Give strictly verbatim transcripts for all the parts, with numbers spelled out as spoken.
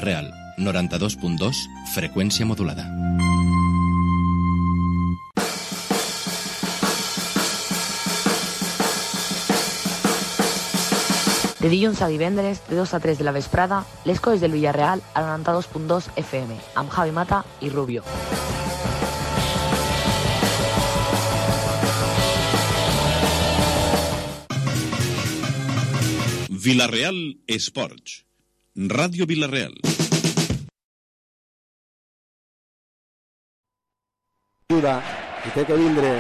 Real, noranta-dos punt dos, freqüència modulada. De dilluns a divendres, de dos a tres de la vesprada, les coses del Villarreal a noranta-dos punt dos F M, amb Javi Mata i Rubio. Villarreal Esports. Ràdio Villarreal. Ajuda, i té que vindre,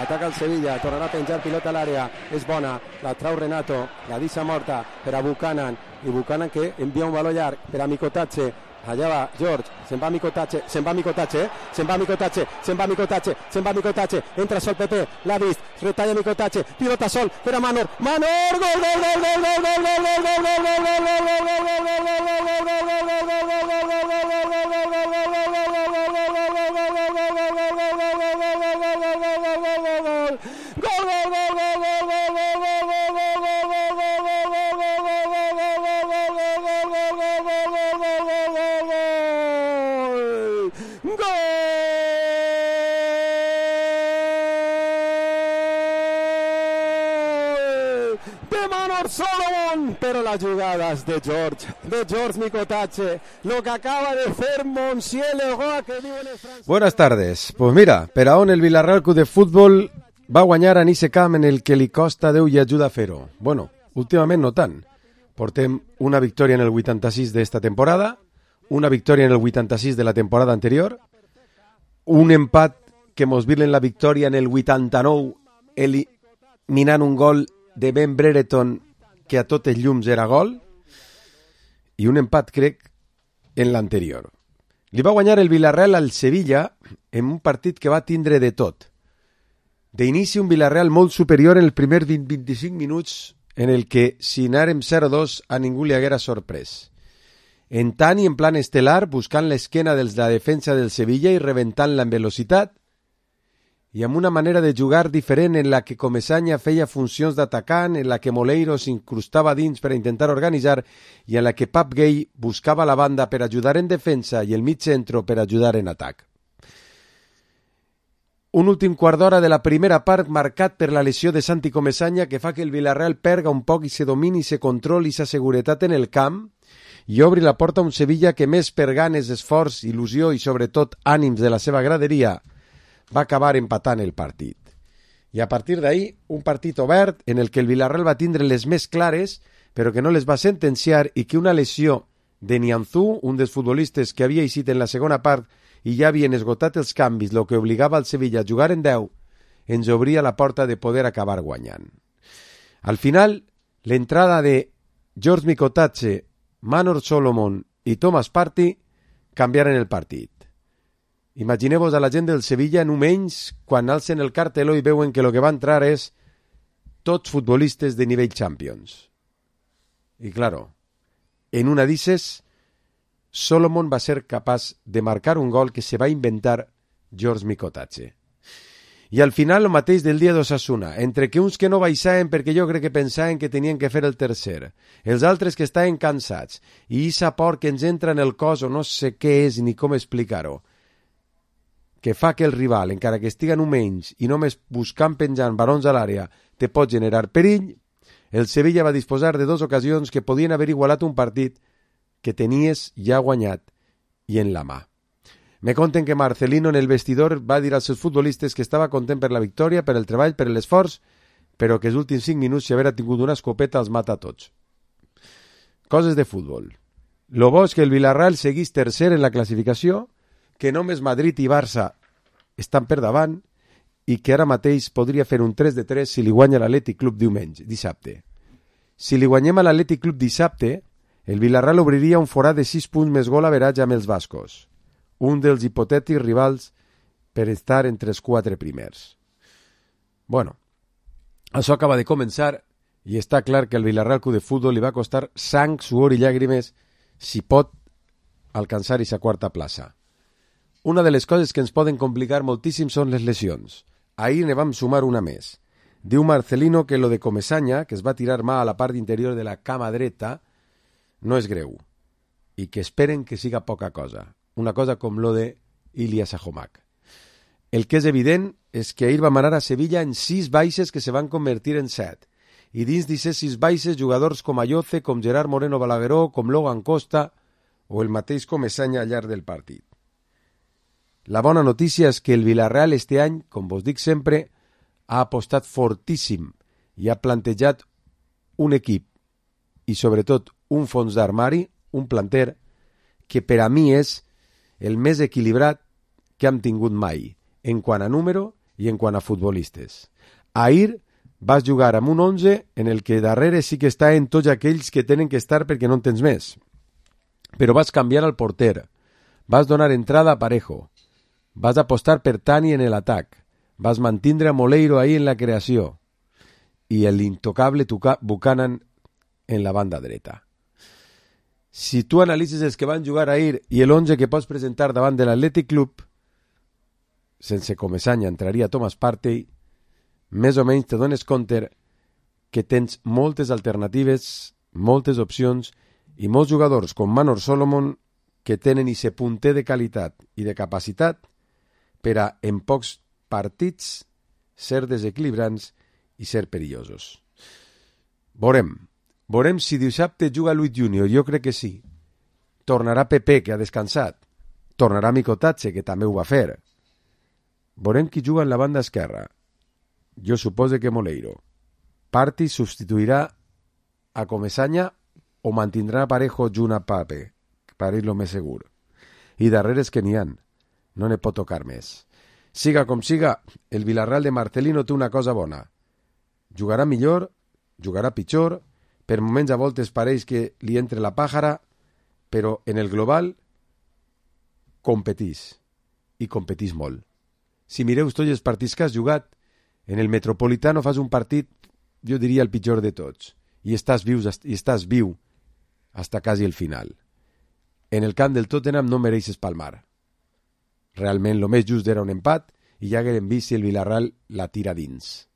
ataca el Sevilla, tornarà a penjar pilota a l'àrea, és bona, la trau Renato, la deixa morta per a Buchanan, i Buchanan que envia un valor llarg per a Micotatge, allà va George, se'n va Micotatge, se'n va Micotatge, eh? se'n va Micotatge, se'n va Micotatge, se'n va Micotatge, entra sol Pepe, l'ha vist, retalla Micotatge, pilota sol per a Manor, Manor, gol, gol, gol, gol, gol, gol, gol, gol, gol, gol, gol, gol, gol, Solomon, pero las jugadas de George, de George Micotatge, lo que acaba de hacer Monsieur Leroy, que vive en el francés. Buenas tardes. Pues mira, per a on el Villarreal Club de Futbol va guanyar en ese camp en el que li costa Déu i ajuda a fer-ho. Bueno, últimament no tant. Portem una victòria en el vuitanta-sis d'esta temporada, una victòria en el vuitanta-sis de la temporada anterior, un empat que mos vilen la victòria en el vuitanta-nou eliminant un gol de Ben Brereton que a tots els llums era gol, i un empat, crec, en l'anterior. Li va guanyar el Villarreal al Sevilla en un partit que va tindre de tot. D'inici, un Villarreal molt superior en el primer vint a vint-i-cinc minuts, en el que, si anàrem zero dos, a ningú li haguera sorprès. En tant i en plan estel·lar, buscant l'esquena dels de la defensa del Sevilla i rebentant-la en velocitat, i amb una manera de jugar diferent en la que Comesaña feia funcions d'atacant, en la que Moleiro s'incrustava dins per a intentar organitzar i en la que Pap Gay buscava la banda per ajudar en defensa i el mig centro per ajudar en atac. Un últim quart d'hora de la primera part marcat per la lesió de Santi Comesaña que fa que el Villarreal perga un poc i se domini, se controli i sa seguretat en el camp i obri la porta a un Sevilla que més per ganes, esforç, il·lusió i sobretot ànims de la seva graderia va acabar empatant el partit. I a partir d'ahí, un partit obert en el que el Villarreal va tindre les més clares, però que no les va sentenciar i que una lesió de Nianzú, un dels futbolistes que havia eixit en la segona part i ja havien esgotat els canvis, lo que obligava al Sevilla a jugar en deu, ens obria la porta de poder acabar guanyant. Al final, l'entrada de George Micotatge, Manor Solomon i Thomas Partey canviaren el partit. Imagineu-vos a la gent del Sevilla en un menys quan alcen el carteló i veuen que el que va entrar és tots futbolistes de nivell Champions. I claro, en una d'isses, Solomon va ser capaç de marcar un gol que se va inventar George Micotatge. I al final el mateix del dia d'Osasuna, entre que uns que no baixaven perquè jo crec que pensaven que tenien que fer el tercer, els altres que estaven cansats, i issa por que ens entra en el cos o no sé què és ni com explicar-ho, que fa que el rival, encara que estiguen un menys i només buscant penjant barons a l'àrea, te pot generar perill, el Sevilla va disposar de dues ocasions que podien haver igualat un partit que tenies ja guanyat i en la mà. Me conten que Marcelino en el vestidor va dir als seus futbolistes que estava content per la victòria, per el treball, per l'esforç, però que els últims cinc minuts, si haver tingut una escopeta, els mata a tots. Coses de futbol. Lo bo és que el Villarreal seguís tercer en la classificació, que només Madrid i Barça estan per davant i que ara mateix podria fer un tres de tres si li guanya l'Atlètic Club diumenge, dissabte. Si li guanyem a l'Atlètic Club dissabte, el Villarreal obriria un forat de sis punts més gol average amb els bascos, un dels hipotètics rivals per estar entre els quatre primers. Bueno, això acaba de començar i està clar que al Villarreal Club de Futbol li va costar sang, suor i llàgrimes si pot alcançar aquesta quarta plaça. Una de les coses que ens poden complicar moltíssim són les lesions. Ahir ne vam sumar una més. Diu Marcelino que lo de Comesaña, que es va tirar mà a la part interior de la cama dreta, no és greu. i que esperen que siga poca cosa. Una cosa com lo de Ilya Sajomac. El que és evident és que ahir va manar a Sevilla en sis baixes que se van convertir en set. I dins d'aquestes sis baixes, jugadors com Ayoce, com Gerard Moreno Balagueró, com Logan Costa o el mateix Comesaña al llarg del partit. La bona notícia és que el Villarreal este any, com vos dic sempre, ha apostat fortíssim i ha plantejat un equip i sobretot un fons d'armari, un planter, que per a mi és el més equilibrat que hem tingut mai, en quant a número i en quant a futbolistes. Ahir vas jugar amb un onze en el que darrere sí que està en tots aquells que tenen que estar perquè no en tens més. Però vas canviar el porter, vas donar entrada a Parejo, vas apostar per Tani en l'atac, vas mantindre a Moleiro ahí en la creació i l'intocable Buchanan en la banda dreta. Si tu analitzes els que van jugar ahir i l'onze que pots presentar davant de l'Athletic Club, sense Comesaña entraria Thomas Partey, més o menys te dones compte que tens moltes alternatives, moltes opcions i molts jugadors com Manor Solomon que tenen ese punter de qualitat i de capacitat per a, en pocs partits, ser desequilibrants i ser perillosos. Veurem. Veurem si dissabte juga Luis Junior, jo crec que sí. Tornarà Pepe, que ha descansat. Tornarà Micotatze, que també ho va fer. Veurem qui juga en la banda esquerra. Jo supose que Moleiro. Partey substituirà a Comesaña o mantindrà Parejo junt a Pape, per ir lo més segur. I darrere és que n'hi han. No ne pot tocar més. Siga com siga, el Villarreal de Marcelino té una cosa bona. Jugarà millor, jugarà pitjor, per moments a voltes pareix que li entre la pàjara, però en el global competís, i competís molt. Si mireu tots els partits que has jugat, en el Metropolitano fas un partit, jo diria el pitjor de tots, i estàs, vius, i estàs viu hasta quasi el final. En el camp del Tottenham no mereixes palmar. Realment, el més just era un empat, i ja haguem vist si el Villarreal la tira dins.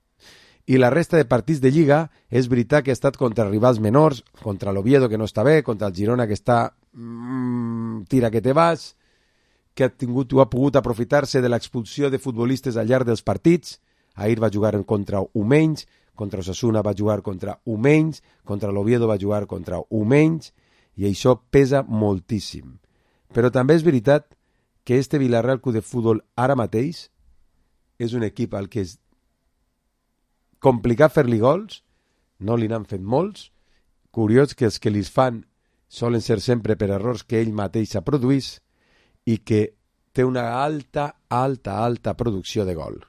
I la resta de partits de Lliga és veritat que ha estat contra rivals menors, contra l'Oviedo que no està bé, contra el Girona que està mmm, tira que te vas, que ha tingut o ha pogut aprofitar-se de l'expulsió de futbolistes al llarg dels partits. Ahir va jugar contra un menys, contra Osasuna va jugar contra un menys, contra l'Oviedo va jugar contra un menys, i això pesa moltíssim. Però també és veritat que este Villarreal Club de Futbol ara mateix és un equip al que és complicat fer-li gols, no li n'han fet molts, curiós que els que li fan solen ser sempre per errors que ell mateix ha produït i que té una alta, alta, alta producció de gol.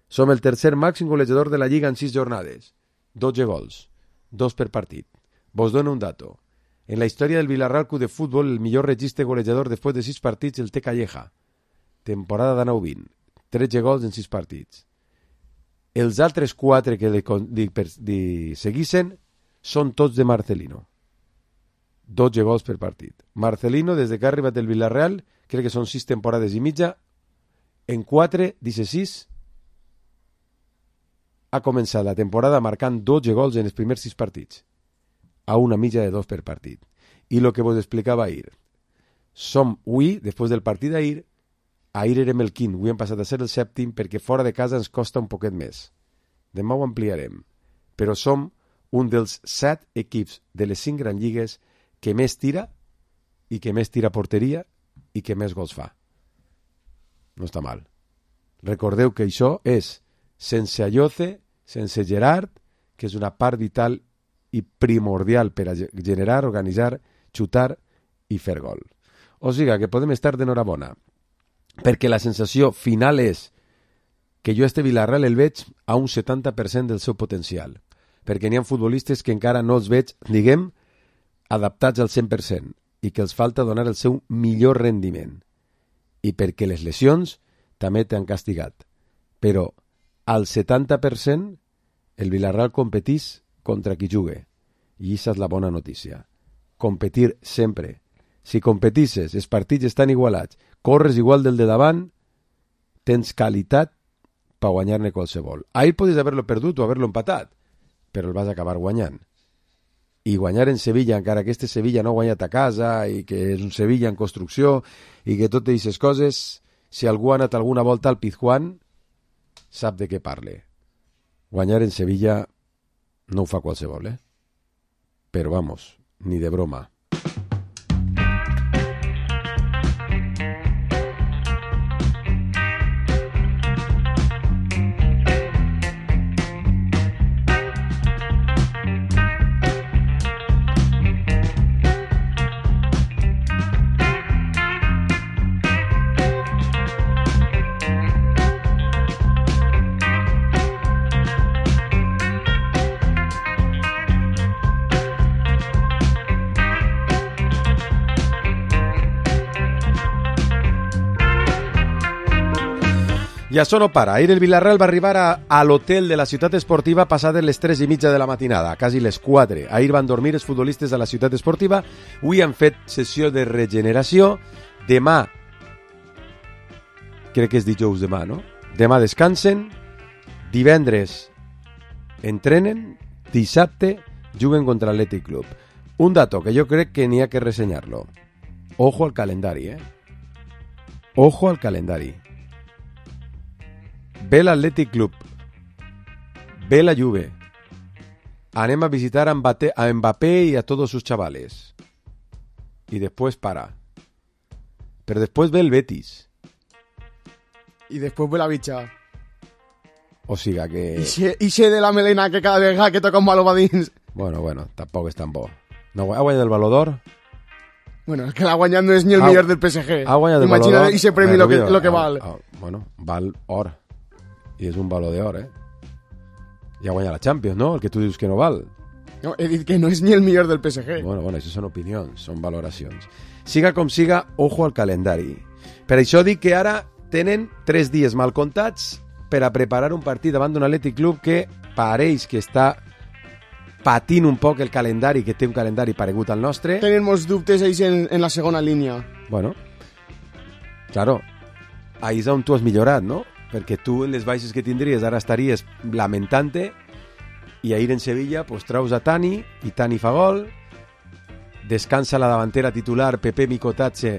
Som el tercer màxim golejador de la Lliga en sis jornades, dotze gols, dos per partit. Vos dono un dato. En la història del Villarreal Club de Futbol, el millor registre golejador després de sis partits el té Calleja. Temporada de nou vint, tretze gols en sis partits. Els altres quatre que li, li, li seguissin són tots de Marcelino. dotze gols per partit. Marcelino, des que ha arribat el Villarreal, crec que són sis temporades i mitja, en quatre, disset, ha començat la temporada marcant dotze gols en els primers sis partits, a una mitja de dos per partit. I el que vos explicava ahir. Som avui, després del partit d'ahir, ahir érem el quint, avui hem passat a ser el sèptim perquè fora de casa ens costa un poquet més. Demà ho ampliarem. Però som un dels set equips de les cinc grans lligues que més tira i que més tira porteria i que més gols fa. No està mal. Recordeu que això és sense Ayoce, sense Gerard, que és una part vital i primordial per a generar, organitzar, xutar i fer gol. O sigui que podem estar d'enhorabona, perquè la sensació final és que jo a este Villarreal el veig a un setanta per cent del seu potencial, perquè n'hi ha futbolistes que encara no els veig, diguem, adaptats al cent per cent i que els falta donar el seu millor rendiment, i perquè les lesions també t'han castigat. Però al setanta per cent el Villarreal competís contra qui jugue, i aquesta és la bona notícia. Competir sempre. Si competisses, els partits estan igualats, corres igual del de davant, tens qualitat per guanyar-ne qualsevol. Ahir podies haver-lo perdut o haver-lo empatat, però el vas acabar guanyant. i guanyar en Sevilla, encara que este Sevilla no ha guanyat a casa i que és un Sevilla en construcció i que totes aquestes coses, si algú ha anat alguna volta al Pizjuán sap de què parle. Guanyar en Sevilla no ho fa qualsevol, eh? Però vamos, ni de broma. I això no para. Ahir el Villarreal va arribar a, a l'hotel de la ciutat esportiva passades les tres i mitja de la matinada, quasi les quatre. Ahir van dormir els futbolistes de la ciutat esportiva. Avui han fet sessió de regeneració. Demà, crec que és dijous demà, no? Demà descansen. Divendres entrenen. Dissabte juguen contra l'Athletic Club. Un dato que jo crec que n'hi ha que ressenyar-lo. Ojo al calendari, eh? Ojo al calendari. Ve l'Athletic Club, ve la Juve, anem a visitar a Mbappé, a Mbappé y a todos sus chavales, y después para, pero después ve el Betis, y después ve la bicha, o siga que... y se, y se de la melena que cada vegada que toca un baló va dins. Bueno, bueno, tampoc és tan bo. No, ha guanyat el Baló d'Or? Bueno, es que la guanyat no és ni el ha, millor del P S G. Ha guanyat el Baló Imagina d'Or. Ese premi lo que, lo que ah, val. Ah, bueno, val or. I és un Baló d'Or, eh? I ha guanyat la Champions, no? El que tu dius que no val. No, he dit que no és ni el millor del P S G. Bueno, bueno, això són opinions, són valoracions. Siga com siga, ojo al calendari. Per això dic que ara tenen tres dies mal comptats per a preparar un partit davant d'un Athletic Club que pareix que està patint un poc el calendari, que té un calendari paregut al nostre. Tenen molts dubtes ells en, en la segona línia. Bueno, claro, ahí és on tu has millorat, no? Perquè tu en les baixes que tindries ara estaries lamentant-te i ahir en Sevilla pues, traus a Tani i Tani fa gol, descansa la davantera titular Pepe Micotatxe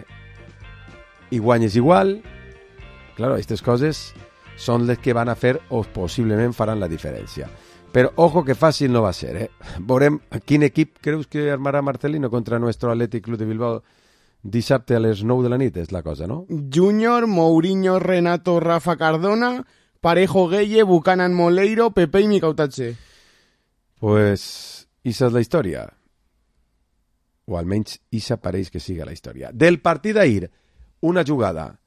i guanyes igual. Claro, aquestes coses són les que van a fer o possiblement faran la diferència. Però ojo que fàcil no va ser, eh? Veurem quin equip creus que armarà Marcelino contra nuestro Athletic Club de Bilbao dissabte a les nou de la nit, és la cosa, no? Junior, Mourinho, Renato, Rafa Cardona, Parejo, Gueye, Buchanan, Moleiro, Pepe i Micautazze. Pues, esa és la història. O almenys, esa pareix que siga la història. Del partit d'ahir, una jugada,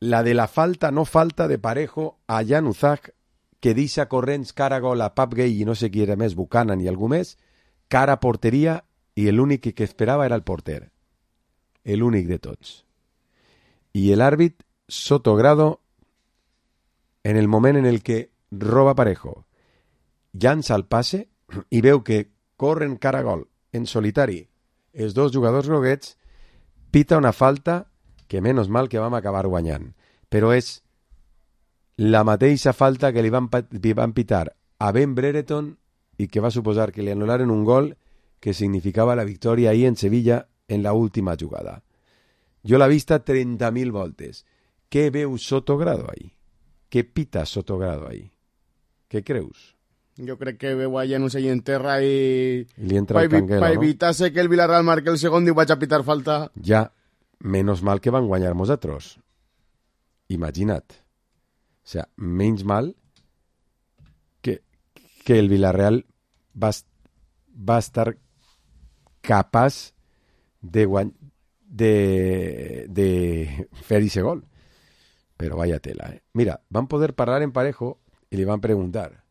la de la falta, no falta de Parejo a Jan Uzak, que deixa corrents cara a gol a Pap Gay i no sé qui era més, Buchanan i algú més, cara a porteria, i l'únic que esperava era el porter. El únic de tots. I l'àrbit Sotogrado, en el moment en el que roba Parejo, llança el passe i veu que corren cara a gol en solitari els dos jugadors groguets, pita una falta que menys mal que vam acabar guanyant. Però és la mateixa falta que li van, li van pitar a Ben Brereton i que va suposar que li anul·laren un gol que significava la victòria ahir en Sevilla en la última jugada. Jo l'he vista trenta mil voltes. Què veu Sotogrado ahí? Què pita Sotogrado ahí? Què creus? Jo crec que veu allà, no sé, i en terra i... I li entra el canguelo, per no? evitar-se que el Villarreal marque el segon i vaig a pitar falta. Ja, menos mal que van guanyar nosaltres. Imagina't. O sea, menys mal que, que el Villarreal va, va estar capaç de, guany... de, de fer ese gol. Però vaya tela, eh? Mira, van poder parlar en Parejo y le van a preguntar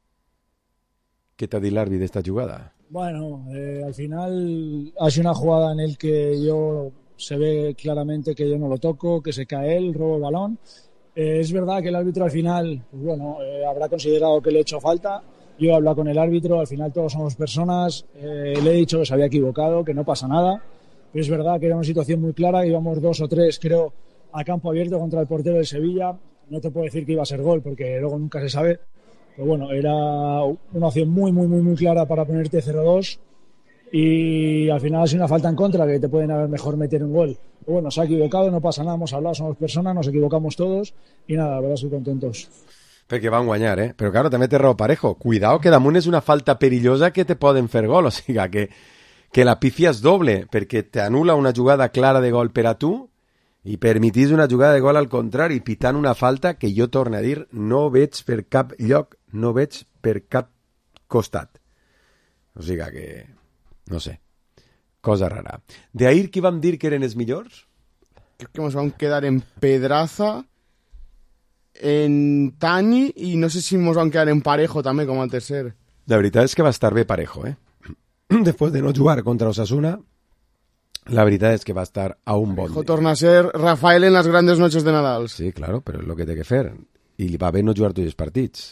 ¿qué te ha dicho el árbitro de esta jugada? Bueno, eh, al final ha sido una jugada en el que yo se ve claramente que yo no lo toco, que se cae él, robo el balón. Eh, es verdad que el árbitro al final, pues bueno, eh, habrá considerado que le he hecho falta. Yo he hablado con el árbitro, al final todos somos personas, eh, le he dicho que se había equivocado, que no pasa nada. Pero es verdad que era una situación muy clara, íbamos dos o tres, creo, a campo abierto contra el portero del Sevilla. No te puedo decir que iba a ser gol, porque luego nunca se sabe. Pero bueno, era una opción muy, muy, muy, muy clara para ponerte cero dos. y al final ha sido una falta en contra que te pueden haber mejor meter un gol. Pero bueno, se ha equivocado, no pasa nada, hemos hablado, somos personas, nos equivocamos todos y nada, la verdad estoy contentos. Perquè van guanyar, eh? Però claro, també té raó Parejo. Cuidado que damunt és una falta perillosa que te poden fer gol, o sigui que, que la pifia és doble, perquè t'anula una jugada clara de gol per a tu i permitís una jugada de gol al contrari, pitant una falta que jo torno a dir, no veig per cap lloc, no veig per cap costat. O sigui que, no sé, cosa rara. De ahir qui vam dir que eren els millors? Creo que nos van a quedar en Pedraza, en Tani y no sé si nos van a quedar en Parejo también como al tercer. La veritat és que va estar bé Parejo, eh? Després de no jugar contra Osasuna, la veritat és que va estar a un bon Parejo torna a ser Rafael en las grandes noches de Nadal. Sí, claro, però és el que té que fer. I li va bé no jugar tots els partits,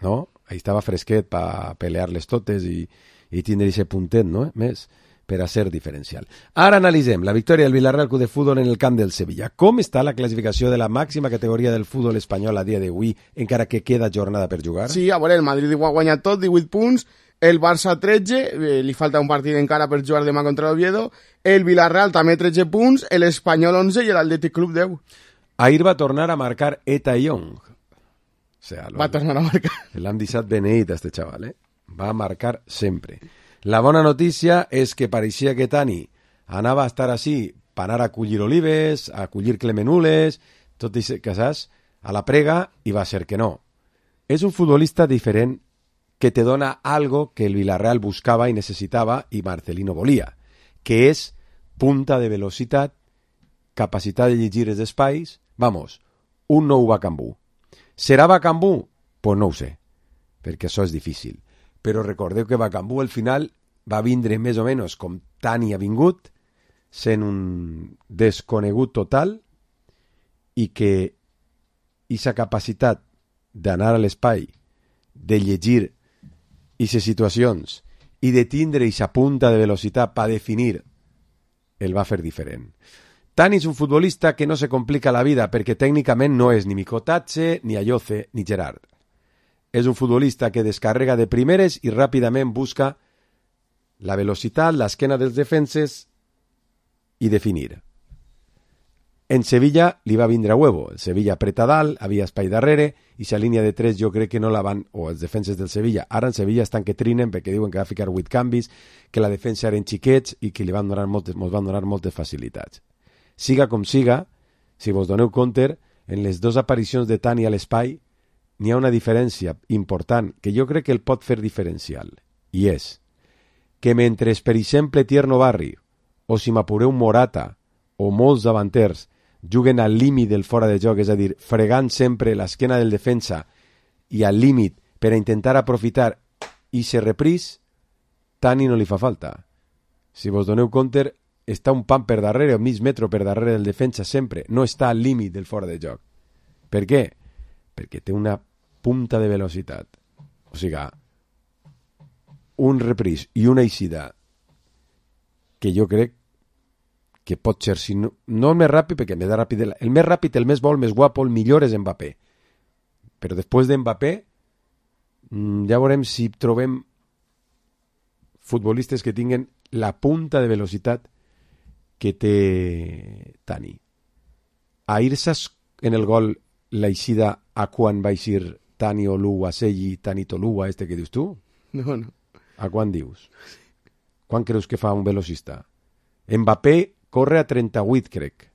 no? Ahí estava fresquet per pelear-les totes i, i tindre ese puntet, no? Més, per a ser diferencial. Ara analitzem la victòria del Villarreal Club de Futbol en el camp del Sevilla. Com està la classificació de la màxima categoria del futbol espanyol a dia d'avui, encara que queda jornada per jugar? Sí, a veure, el Madrid ho ha guanyat tot, divuit punts, el Barça tretze, eh, li falta un partit encara per jugar demà contra l'Oviedo, el Villarreal també tretze punts, l'Espanyol onze i l'Atlètic Club deu. Ahir va tornar a marcar Eta Young. O sea, va tornar a marcar. L'hem deixat beneït, este xaval, eh? Va marcar sempre. La bona notícia és que pareixia que Tani anava a estar així per anar a collir olives, a collir clemenules, tot i que saps, a la prega, i va ser que no. És un futbolista diferent que te dona algo que el Villarreal buscava i necessitava i Marcelino volia, que és punta de velocitat, capacitat de llegir els espais, vamos, un nou Bacambú. Serà Bacambú? Pues no ho sé, perquè això és difícil. Però recordeu que Bacambú al final va vindre més o menys com Tani ha vingut, sent un desconegut total, i que aquesta capacitat d'anar a l'espai, de llegir aquestes situacions i de tindre aquesta punta de velocitat per definir, el va fer diferent. Tani és un futbolista que no se complica la vida perquè tècnicament no és ni Micotadze, ni Ayoce, ni Gerard. És un futbolista que descarrega de primeres i ràpidament busca la velocitat, l'esquena dels defenses i definir. En Sevilla li va vindre a huevo. El Sevilla apreta dalt, havia espai darrere, i sa línia de tres jo crec que no la van, o els defenses del Sevilla. Ara en Sevilla estan que trinen perquè diuen que va ficar vuit canvis, que la defensa eren xiquets i que li van donar moltes, mos van donar moltes facilitats. Siga com siga, si vos doneu compte, en les dues aparicions de Tani a l'espai n'hi ha una diferència important que jo crec que el pot fer diferencial, i és que mentre, per exemple, Tierno Barri o si m'apureu Morata o molts davanters juguen al límit del fora de joc, és a dir, fregant sempre l'esquena del defensa i al límit per a intentar aprofitar i se reprís, Tani no li fa falta. Si vos doneu compte, està un pam per darrere, un mig metro per darrere del defensa sempre, no està al límit del fora de joc. Per què? Perquè té una punta de velocitat. O sigui, un reprís i una eixida que jo crec que pot ser, si no, no el més ràpid, perquè el més ràpid, el més ràpid, el més bo, el més guapo, el millor és Mbappé. Però després d'Mbappé, ja veurem si trobem futbolistes que tinguen la punta de velocitat que té Tani. A irse en el gol l'eixida a quan va eixir Tani Olua, Selli, Tani Tolua, este que dius tu? No, no. A quan dius? Quan creus que fa un velocista? Mbappé corre a trenta-vuit, crec.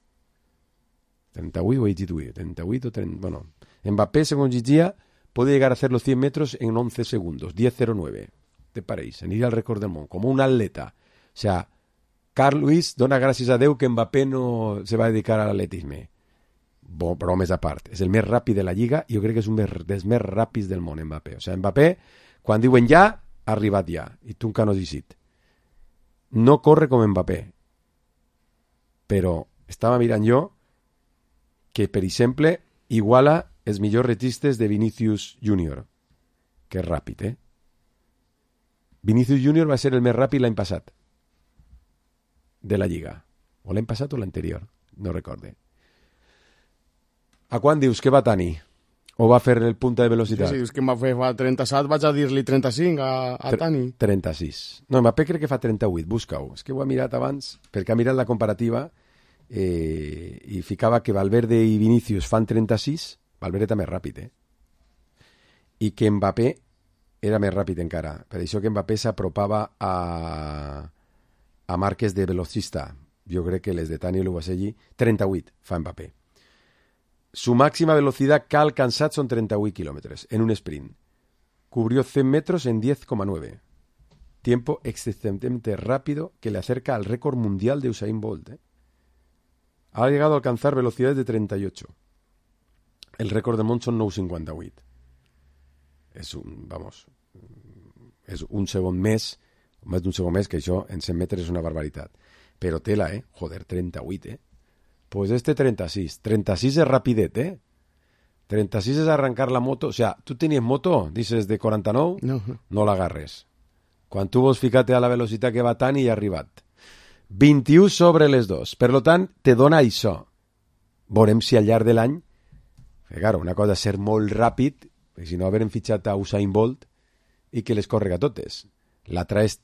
trenta-vuit o trenta-vuit? trenta-vuit o trenta... Bueno, Mbappé, según Giggia, puede llegar a hacer los cien metros en once segundos, diez cero nueve. ¿Te pareix? Aniria al récord del món, como un atleta. O sea, Carl Lewis dona gràcies a Déu que Mbappé no se va a dedicar a l'atletisme. Bo, bromes a part. És el més ràpid de la Lliga i jo crec que és un dels més ràpids del món, Mbappé. O sea, Mbappé, quan diuen ja, ha arribat ja. I tu encara no has llegit. No corre com Mbappé. Però estava mirant jo que, per exemple, iguala els millors retistes de Vinicius Junior, que és ràpid, eh? Vinicius Junior va ser el més ràpid l'any passat de la Lliga. O l'any passat o l'anterior, no recorde. A quan dius que va Tani? O va fer el punta de velocitat? Sí, sí, és que Mbappé fa trenta-set, vaig a dir-li trenta-cinc a, a Tani. trenta-sis. No, Mbappé crec que fa trenta-vuit, busca-ho. És que ho he mirat abans, perquè ha mirat la comparativa eh, i ficava que Valverde i Vinícius fan trenta-sis, Valverde està més ràpid, eh? I que Mbappé era més ràpid encara. Per això que Mbappé s'apropava a, a marques de velocista. Jo crec que les de Tani Lubaselli, trenta-vuit fa Mbappé. Su máxima velocidad que ha alcanzado son treinta y ocho kilómetros en un sprint. Cubrió cien metros en diez coma nueve. Tiempo excelentemente rápido que le acerca al récord mundial de Usain Bolt. ¿eh? Ha llegado a alcanzar velocidades de treinta y ocho. El récord de món son nou cinquanta vuit. És un, vamos, és un segon més, més d'un segon més, que això en cent metres és una barbaritat. Però tela, eh? Joder, treinta y ocho, eh? Pues este treinta-sis. treinta-sis es rapidet, ¿eh? treinta-sis es arrancar la moto. O sea, ¿tú tenies moto? Dices de quaranta-nou? No. No l'agarres. Quan tu vols ficar-te a la velocitat que va tant i ha arribat. vint-i-u sobre les dos. Per lo tant, te dona això. Veurem si al llarg de l'any... Que, claro, una cosa és ser molt ràpid, perquè si no haverem fitxat a Usain Bolt i que les córrega totes. L'altra és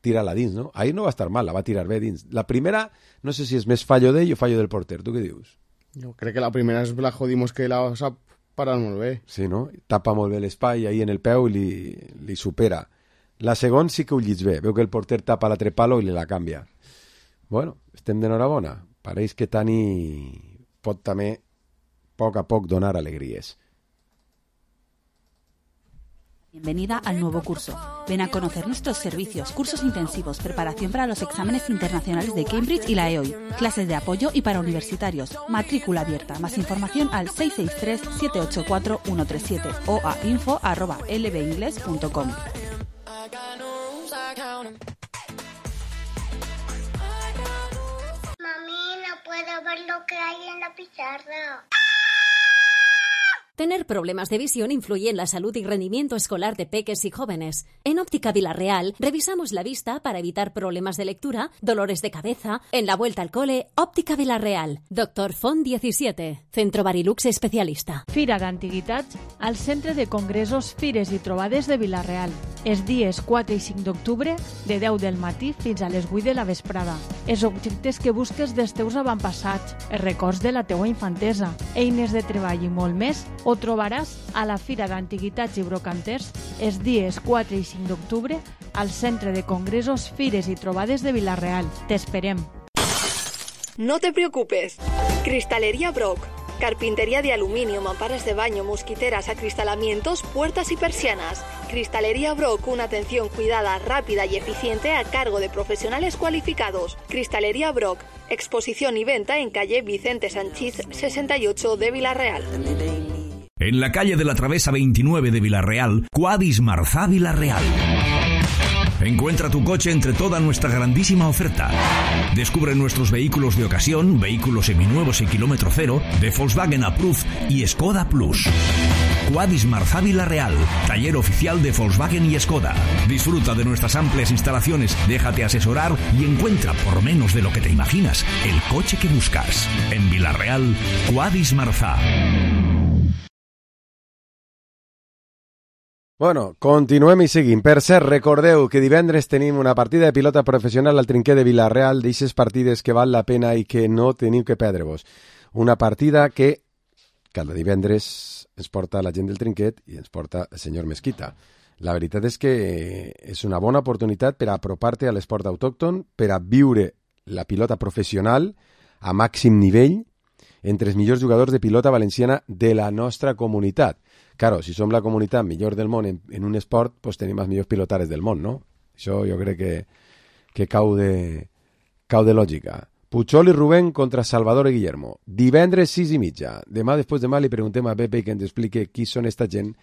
tirar-la dins, no? Ahir no va estar mal, la va tirar bé dins. La primera, no sé si és més fallo d'ell o fallo del porter. Tu què dius? Jo crec que la primera és la jodimos que la sap parar molt bé. Sí, no? Tapa molt bé l'espai ahí en el peu i li, li supera. La segona sí que ho llits bé. Veu que el porter tapa l'altre palo i li la canvia. Bueno, estem d'enhorabona. Pareix que Tani pot també a poc a poc donar alegries. Bienvenida al nuevo curso. Ven a conocer nuestros servicios, cursos intensivos, preparación para los exámenes internacionales de Cambridge y la E O I, clases de apoyo y para universitarios, matrícula abierta. Más información al seis seis tres, siete ocho cuatro, uno tres siete o a info arroba l b ingles punto com. Mami, no puedo ver lo que hay en la pizarra. Tener problemas de visión influye en la salud y rendimiento escolar de peques y jóvenes. En Óptica Vilarreal revisamos la vista para evitar problemas de lectura, dolores de cabeza. En la vuelta al cole, Óptica Vilarreal. Doctor Font diecisiete. Centro Barilux especialista. Fira d'Antiguitats al Centre de Congressos, Fires i Trobades de Vilarreal. Els dies quatre i cinc d'octubre, de deu del matí fins a les vuit de la vesprada. Els objectes que busques dels teus avantpassats, els records de la teua infantesa, eines de treball i molt més, ho trobaràs a la Fira d'Antiguitats i Brocanters els dies quatre i cinc d'octubre al Centre de Congressos, Fires i Trobades de Vilarreal. T'esperem. No te preocupes. Cristalería Brock. Carpintería de aluminio, mamparas de baño, mosquiteras, acristalamientos, puertas y persianas. Cristalería Brock, una atención cuidada, rápida y eficiente a cargo de profesionales cualificados. Cristalería Brock, exposición y venta en calle Vicente Sanchís sesenta y ocho de Vilarreal. En la calle de la Travesa veintinueve de Vilarreal, Quadis Marzá Vilarreal. Encuentra tu coche entre toda nuestra grandísima oferta. Descubre nuestros vehículos de ocasión, vehículos seminuevos y kilómetro cero, de Volkswagen Approved y Skoda Plus. Quadis Marzá Vilarreal, taller oficial de Volkswagen y Skoda. Disfruta de nuestras amplias instalaciones, déjate asesorar y encuentra, por menos de lo que te imaginas, el coche que buscas. En Vilarreal, Quadis Marzá. Bueno, continuem i seguim. Per cert, recordeu que divendres tenim una partida de pilota professional al Trinquet de Vilarreal, d'eixes partides que val la pena i que no teniu que perdre-vos. Una partida que cada divendres ens porta la gent del Trinquet i ens porta el senyor Mesquita. La veritat és que és una bona oportunitat per a apropar-te a l'esport autòcton, per a viure la pilota professional a màxim nivell entre els millors jugadors de pilota valenciana de la nostra comunitat. Claro, si som la comunitat millor del món en, en un esport, pues tenim els millors pilotares del món, no? Això jo crec que, que cau, de, cau de lògica. Puchol i Rubén contra Salvador i Guillermo. Divendres sis i mitja. Demà, després demà, li preguntem a Pepe que ens explique qui són esta gent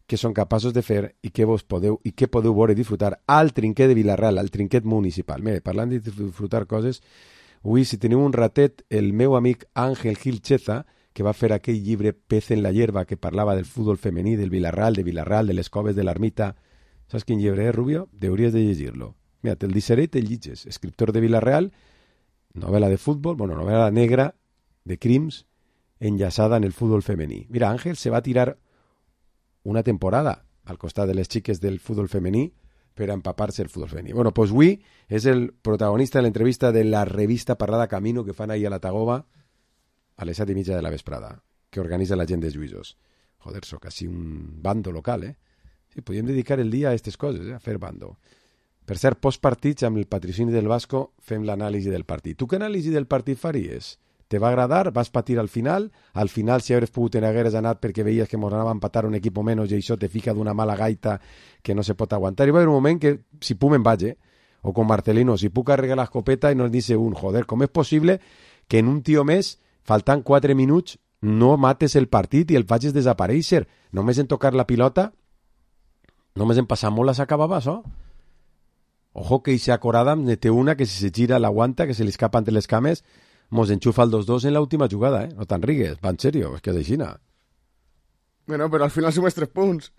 que són capaços de fer i què vos podeu i què podeu veure i disfrutar al Trinquet de Vilarreal, al Trinquet municipal. Mire, parlant de disfrutar coses, avui, si teniu un ratet, el meu amic Àngel Gil Cheza, que va fer aquell llibre Pez en la hierba, que parlava del futbol femení, del Vilarreal, de Vilarreal, de les coves de l'Ermita. Saps quin llibre és, Rubio? Deuries de llegir-lo. Mira, te'l deixaré i te'l llitges. Escriptor de Vilarreal, novel·la de futbol, bueno, novel·la negra, de crims, enllaçada en el futbol femení. Mira, Ángel se va a tirar una temporada al costat de les xiques del futbol femení per empapar-se el futbol femení. Bueno, pues avui és el protagonista de l'entrevista de la revista Parlada Camino que fan ahir a la Tagoba a les set i mitja de la vesprada, que organitza la gent de Lluïsos. Joder, sóc quasi un bando local, eh? Sí, podríem dedicar el dia a aquestes coses, eh? A fer bando. Per cert, postpartits amb el patrocini del Vasco fem l'anàlisi del partit. Tu què anàlisi del partit faries? Te va agradar? Vas patir al final? Al final, si hagués pogut, en hagueres anat perquè veies que mos anava a empatar un equip menys i això te fica d'una mala gaita que no se pot aguantar. I va haver un moment que, si puc me'n vaig, eh? O con Marcelino, si puc carregar l'escopeta i nos dice un, joder, com és possible que en un tio més, faltant quatre minuts, no mates el partit i el facis desaparèixer? Només en tocar la pilota, només en passar molt s'acabava això. Ojo que Isaac Oradam ne té una que si se gira l'aguanta, que se li escapa entre les cames, mos enxufa el dos dos en l'última jugada, eh? No te'n rigues, va en sèrio, és que és aixina. Bueno, però al final sumes tres punts.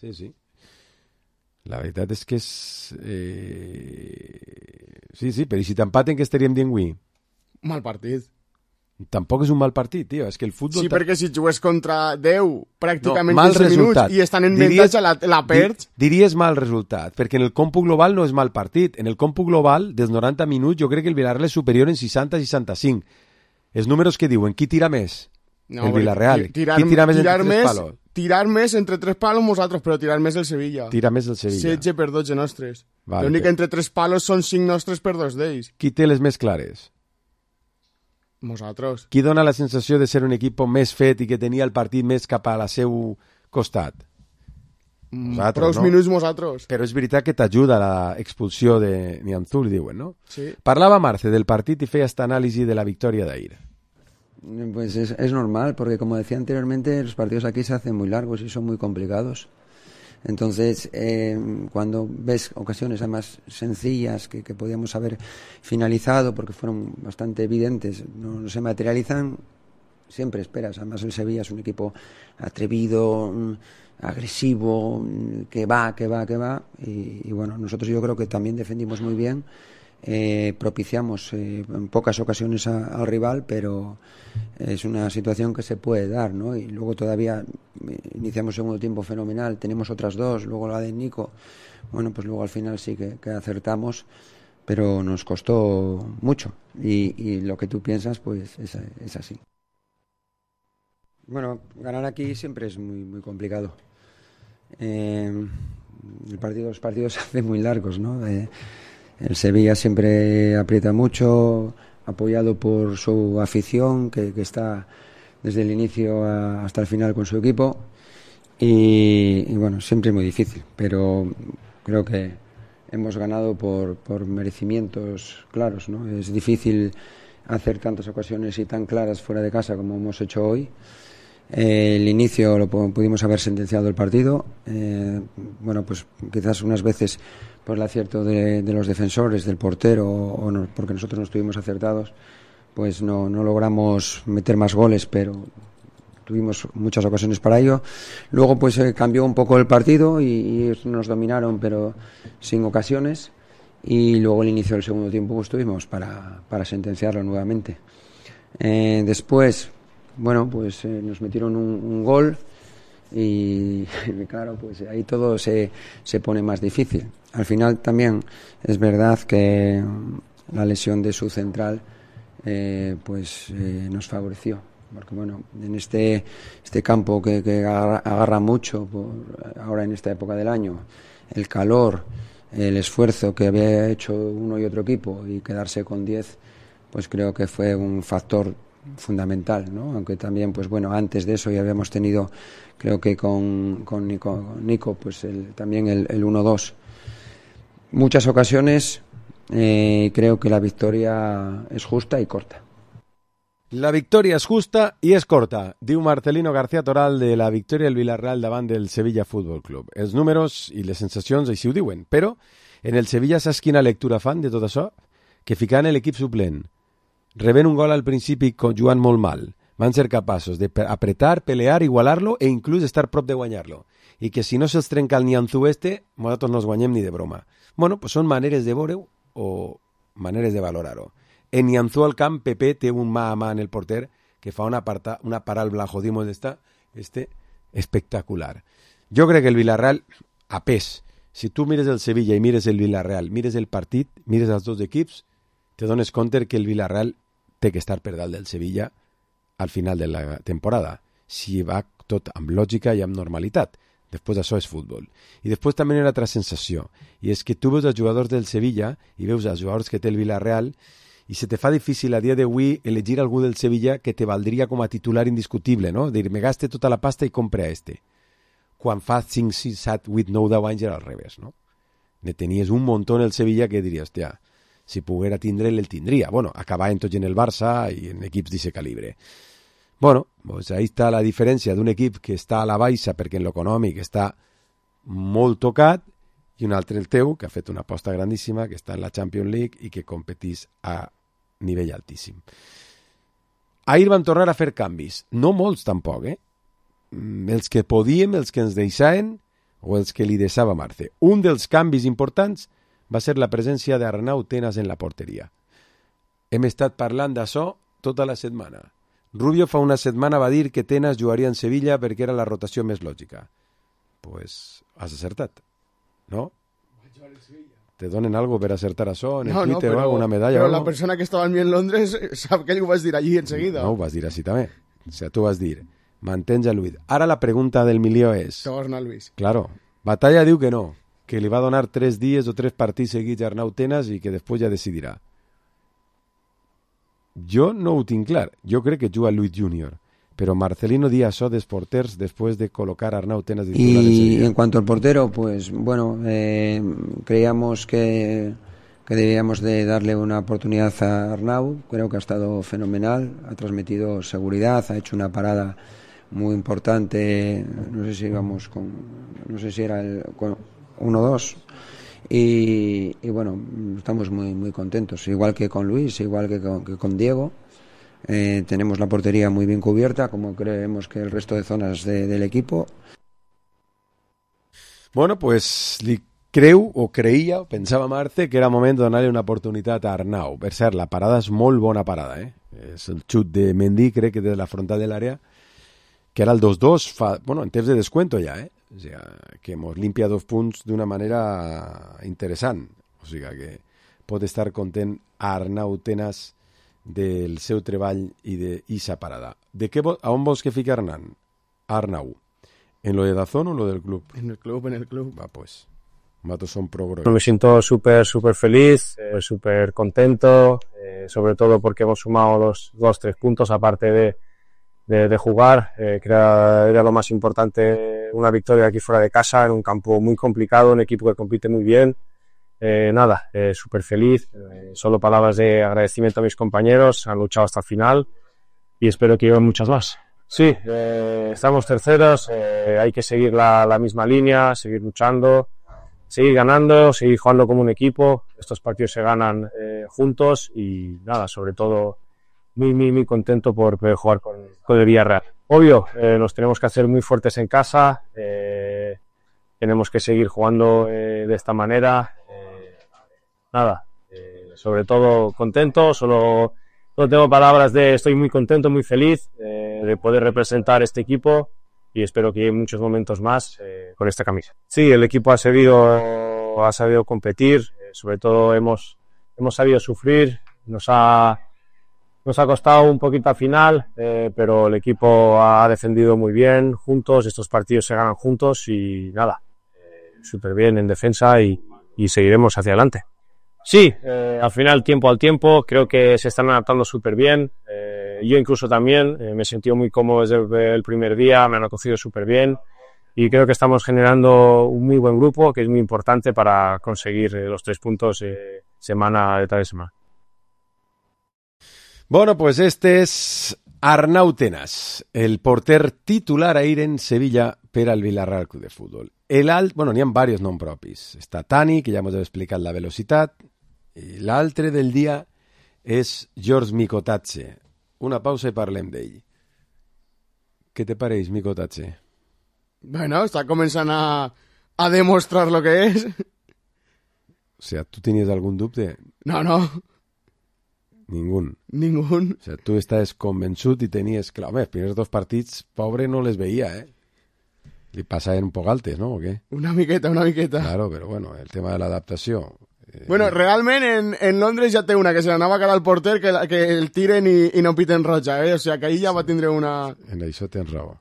Sí, sí. La veritat és que és... Eh... Sí, sí, però i si t'empaten, què estaríem dient avui? Mal partit. Tampoc és un mal partit, tio. És que el futbol... Sí, perquè si jugues contra deu pràcticament no, quinze minuts i estan en avantatge, la, la perds... Diries mal resultat, perquè en el còmput global no és mal partit. En el còmput global, dels noranta minuts, jo crec que el Villarreal és superior en seixanta a seixanta-cinc. Els números que diuen, qui tira més? No, el Villarreal. Tirar, qui tira més tirar entre més, tres palos? Tirar més entre tres palos nosaltres, però tirar més el Sevilla. Tira més el Sevilla. setze per dotze nostres. Vale, L'únic que... entre tres palos són cinc nostres per dos d'ells. Qui té les més clares? Nosaltres. Qui dona la sensació de ser un equip més fet i que tenia el partit més cap a la seu costat? Nosaltres, Prous no? minuts nosaltres. Però és veritat que t'ajuda l'expulsió de Nianzú, diuen, no? Sí. Parlava Marce del partit i feia esta anàlisi de la victòria d'ahir. Pues es, es normal, porque como decía anteriormente, los partidos aquí se hacen muy largos y son muy complicados. Entonces, eh, cuando ves ocasiones además sencillas que, que podíamos haber finalizado porque fueron bastante evidentes, no, no se materializan, siempre esperas. Además, el Sevilla es un equipo atrevido, agresivo, que va, que va, que va. Y, y bueno, nosotros yo creo que también defendimos muy bien. Eh, propiciamos eh, en pocas ocasiones a, al rival, pero es una situación que se puede dar, ¿no? Y luego todavía eh, iniciamos segundo tiempo fenomenal, tenemos otras dos, luego la de Nico, bueno, pues luego al final sí que, que acertamos, pero nos costó mucho y, y lo que tú piensas pues es, es así. Bueno, ganar aquí siempre es muy, muy complicado. Eh, el partido, los partidos se hacen muy largos, ¿no? Eh, El Sevilla siempre aprieta mucho, apoyado por su afición, que, que está desde el inicio a, hasta el final con su equipo. Y, y bueno, siempre es muy difícil, pero creo que hemos ganado por, por merecimientos claros, ¿no? Es difícil hacer tantas ocasiones y tan claras fuera de casa como hemos hecho hoy. Eh, el inicio lo pudimos haber sentenciado el partido. Eh, bueno, pues quizás unas veces por el acierto de, de los defensores, del portero, o, o no, porque nosotros no estuvimos acertados, pues no, no logramos meter más goles, pero tuvimos muchas ocasiones para ello. Luego pues eh, cambió un poco el partido y, y nos dominaron, pero sin ocasiones. Y luego el inicio del segundo tiempo pues tuvimos para, para sentenciarlo nuevamente. Eh, después, bueno, pues eh, nos metieron un, un gol y claro, pues ahí todo se, se pone más difícil. Al final también es verdad que la lesión de su central eh, pues eh, nos favoreció, porque bueno, en este, este campo que, que agarra, agarra mucho por, ahora en esta época del año, el calor, el esfuerzo que había hecho uno y otro equipo y quedarse con diez, pues creo que fue un factor fundamental, ¿no? Aunque también, pues bueno, antes de eso ya habíamos tenido, creo que con, con Nico, con Nico pues el, también el, el uno dos. Muchas ocasiones, eh, creo que la victoria es justa y corta. La victòria és justa i és corta, diu Marcelino García Toral de la victòria del Villarreal davant del Sevilla Futbol Club. Els números i les sensacions així ho diuen, però en el Sevilla saps quina lectura fan de tot això? Que ficant l'equip suplent, rebent un gol al principi jugant molt mal, van ser capaços d'apretar, pelear, igualar-lo e inclús estar prop de guanyar-lo. I que si no se'ls trenca el Nianzú este, nosaltres no els guanyem ni de broma. Bueno, pues són maneres de veure-ho o maneres de valorar-ho. En Nianzú al camp, Pepe té un mà a mà en el porter que fa una, parta, una para al Blajodimo d'esta, este espectacular. Jo crec que el Villarreal, a pes, si tu mires el Sevilla i mires el Villarreal, mires el partit, mires els dos equips, te dones compte que el Villarreal té que estar per dalt del Sevilla al final de la temporada, si va tot amb lògica i amb normalitat. Després això és futbol. I després també hi ha una altra sensació, i és que tu veus els jugadors del Sevilla i veus els jugadors que té el Villarreal i se te fa difícil a dia d'avui elegir algú del Sevilla que te valdria com a titular indiscutible, no? Dir, me gaste tota la pasta i compre a este. Quan fa cinc, sis, set, vuit, nou, deu anys era al revés, no? Ne tenies un muntó en el Sevilla que diries, hòstia, si poguera tindre'l, el tindria. Bueno, acabaven tots en el Barça i en equips d'aquest calibre. Bueno, pues ahí està la diferència d'un equip que està a la baixa perquè en l'econòmic està molt tocat i un altre el teu que ha fet una aposta grandíssima, que està en la Champions League i que competís a nivell altíssim. Ahir van tornar a fer canvis, no molts tampoc, eh? Els que podíem, els que ens deixaven o els que li deixava Marce. Un dels canvis importants va ser la presència d'Arnau Tenas en la porteria. Hem estat parlant d'això tota la setmana. Rubio fa una setmana va dir que Tenas jugaria en Sevilla perquè era la rotació més lògica. Pues has acertat, no? Te donen algo per acertar això en el no, Twitter no, o alguna medalla? Però o la algo? persona que estava amb mi en Londres sap que li ho vas dir allí enseguida. No, ho vas dir així també. O sigui, tu vas dir, mantens a Luis. Ara la pregunta del milió és... Que vols anar, Luis? Claro, Batalla diu que no, que li va donar tres dies o tres partits seguits a Arnau Tenas i que després ja decidirà. Jo no ho tinc clar. Jo crec que juga Luis Junior. Pero Marcelino di això dels porters después de colocar a Arnau Tenas de titular en Y en cuanto al portero, pues bueno, eh, creíamos que, que debíamos de darle una oportunidad a Arnau. Creo que ha estado fenomenal, ha transmitido seguridad, ha hecho una parada muy importante. No sé si íbamos con, no sé si era el uno dos. Y, y bueno, estamos muy muy contentos, igual que con Luis, igual que con, que con Diego. Eh, tenemos la portería muy bien cubierta, como creemos que el resto de zonas de, del equipo. Bueno, pues li creu o creia, o pensava Marce, que era moment de donar-li una oportunitat a Arnau. Per cert, la parada és molt bona parada, eh? És el xut de Mendy, crec que des de la frontal de l'àrea, que era el dos dos, fa, bueno, en temps de descuento ja, eh? O sigui, que mos limpia dos punts d'una manera interessant. O sigui, que pot estar content a Arnau Tenas del seu treball i d'Isa parada. De què, a on vols que fiqui Arnau? Arnau. ¿En lo de Dazón o en lo del club? En el club, en el club. Va, pues. Matos son pro bro. Me siento súper, súper feliz, eh, súper contento, eh, sobre todo porque hemos sumado los dos, tres puntos aparte de De, de jugar, eh, que era, era lo más importante, una victoria aquí fuera de casa, en un campo muy complicado, un equipo que compite muy bien. Eh, nada, eh, súper feliz, eh, solo palabras de agradecimiento a mis compañeros, han luchado hasta el final y espero que lleven muchas más. Sí, eh, estamos terceros, eh, hay que seguir la, la misma línea, seguir luchando, seguir ganando, seguir jugando como un equipo. Estos partidos se ganan eh, juntos y nada, sobre todo muy, muy, muy contento por poder jugar con, con el Villarreal. Obvio, eh, nos tenemos que hacer muy fuertes en casa, eh, tenemos que seguir jugando eh, de esta manera. Eh, nada, eh, sobre todo contento, solo, solo tengo palabras de estoy muy contento, muy feliz eh, de poder representar este equipo y espero que haya muchos momentos más eh, con esta camisa. Sí, el equipo ha sabido, ha sabido competir, eh, sobre todo hemos, hemos sabido sufrir, nos ha Nos ha costado un poquito al final, eh, pero el equipo ha defendido muy bien juntos, estos partidos se ganan juntos y nada, eh, súper bien en defensa y, y seguiremos hacia adelante. Sí, eh, al final tiempo al tiempo, creo que se están adaptando súper bien, eh, yo incluso también eh, me he sentido muy cómodo desde el primer día, me han acogido súper bien y creo que estamos generando un muy buen grupo que es muy importante para conseguir eh, los tres puntos eh, semana detrás de semana. Bueno, pues este és Arnau Tenas, el porter titular a ir en Sevilla per al Villarreal Club de Futbol. El alt, bueno, n'hi ha diversos noms propis. Està Tani, que ja ens heu explicat la velocitat, i l'altre del dia és George Mikotatse. Una pausa i parlem d'ell. Què te pareix, Mikotatse? Bueno, està començant a, a demostrar lo que és. O sea, ¿tú tenies algun dubte? No, no. Ningún. Ningún. O sea, tu estàs convençut i tenies... Clar, home, els primers dos partits, pobre, no les veia, eh? Li passaven un poc altes, ¿no? O què? Una miqueta, una miqueta. Claro, però bueno, el tema de l'adaptació... Eh... Bueno, realment en, en Londres ja té una, que se l'anava a cara al porter, que, la, que el tiren i, i no piten roja, eh? O sigui, que ahir ja va tindre una... En això tens raó.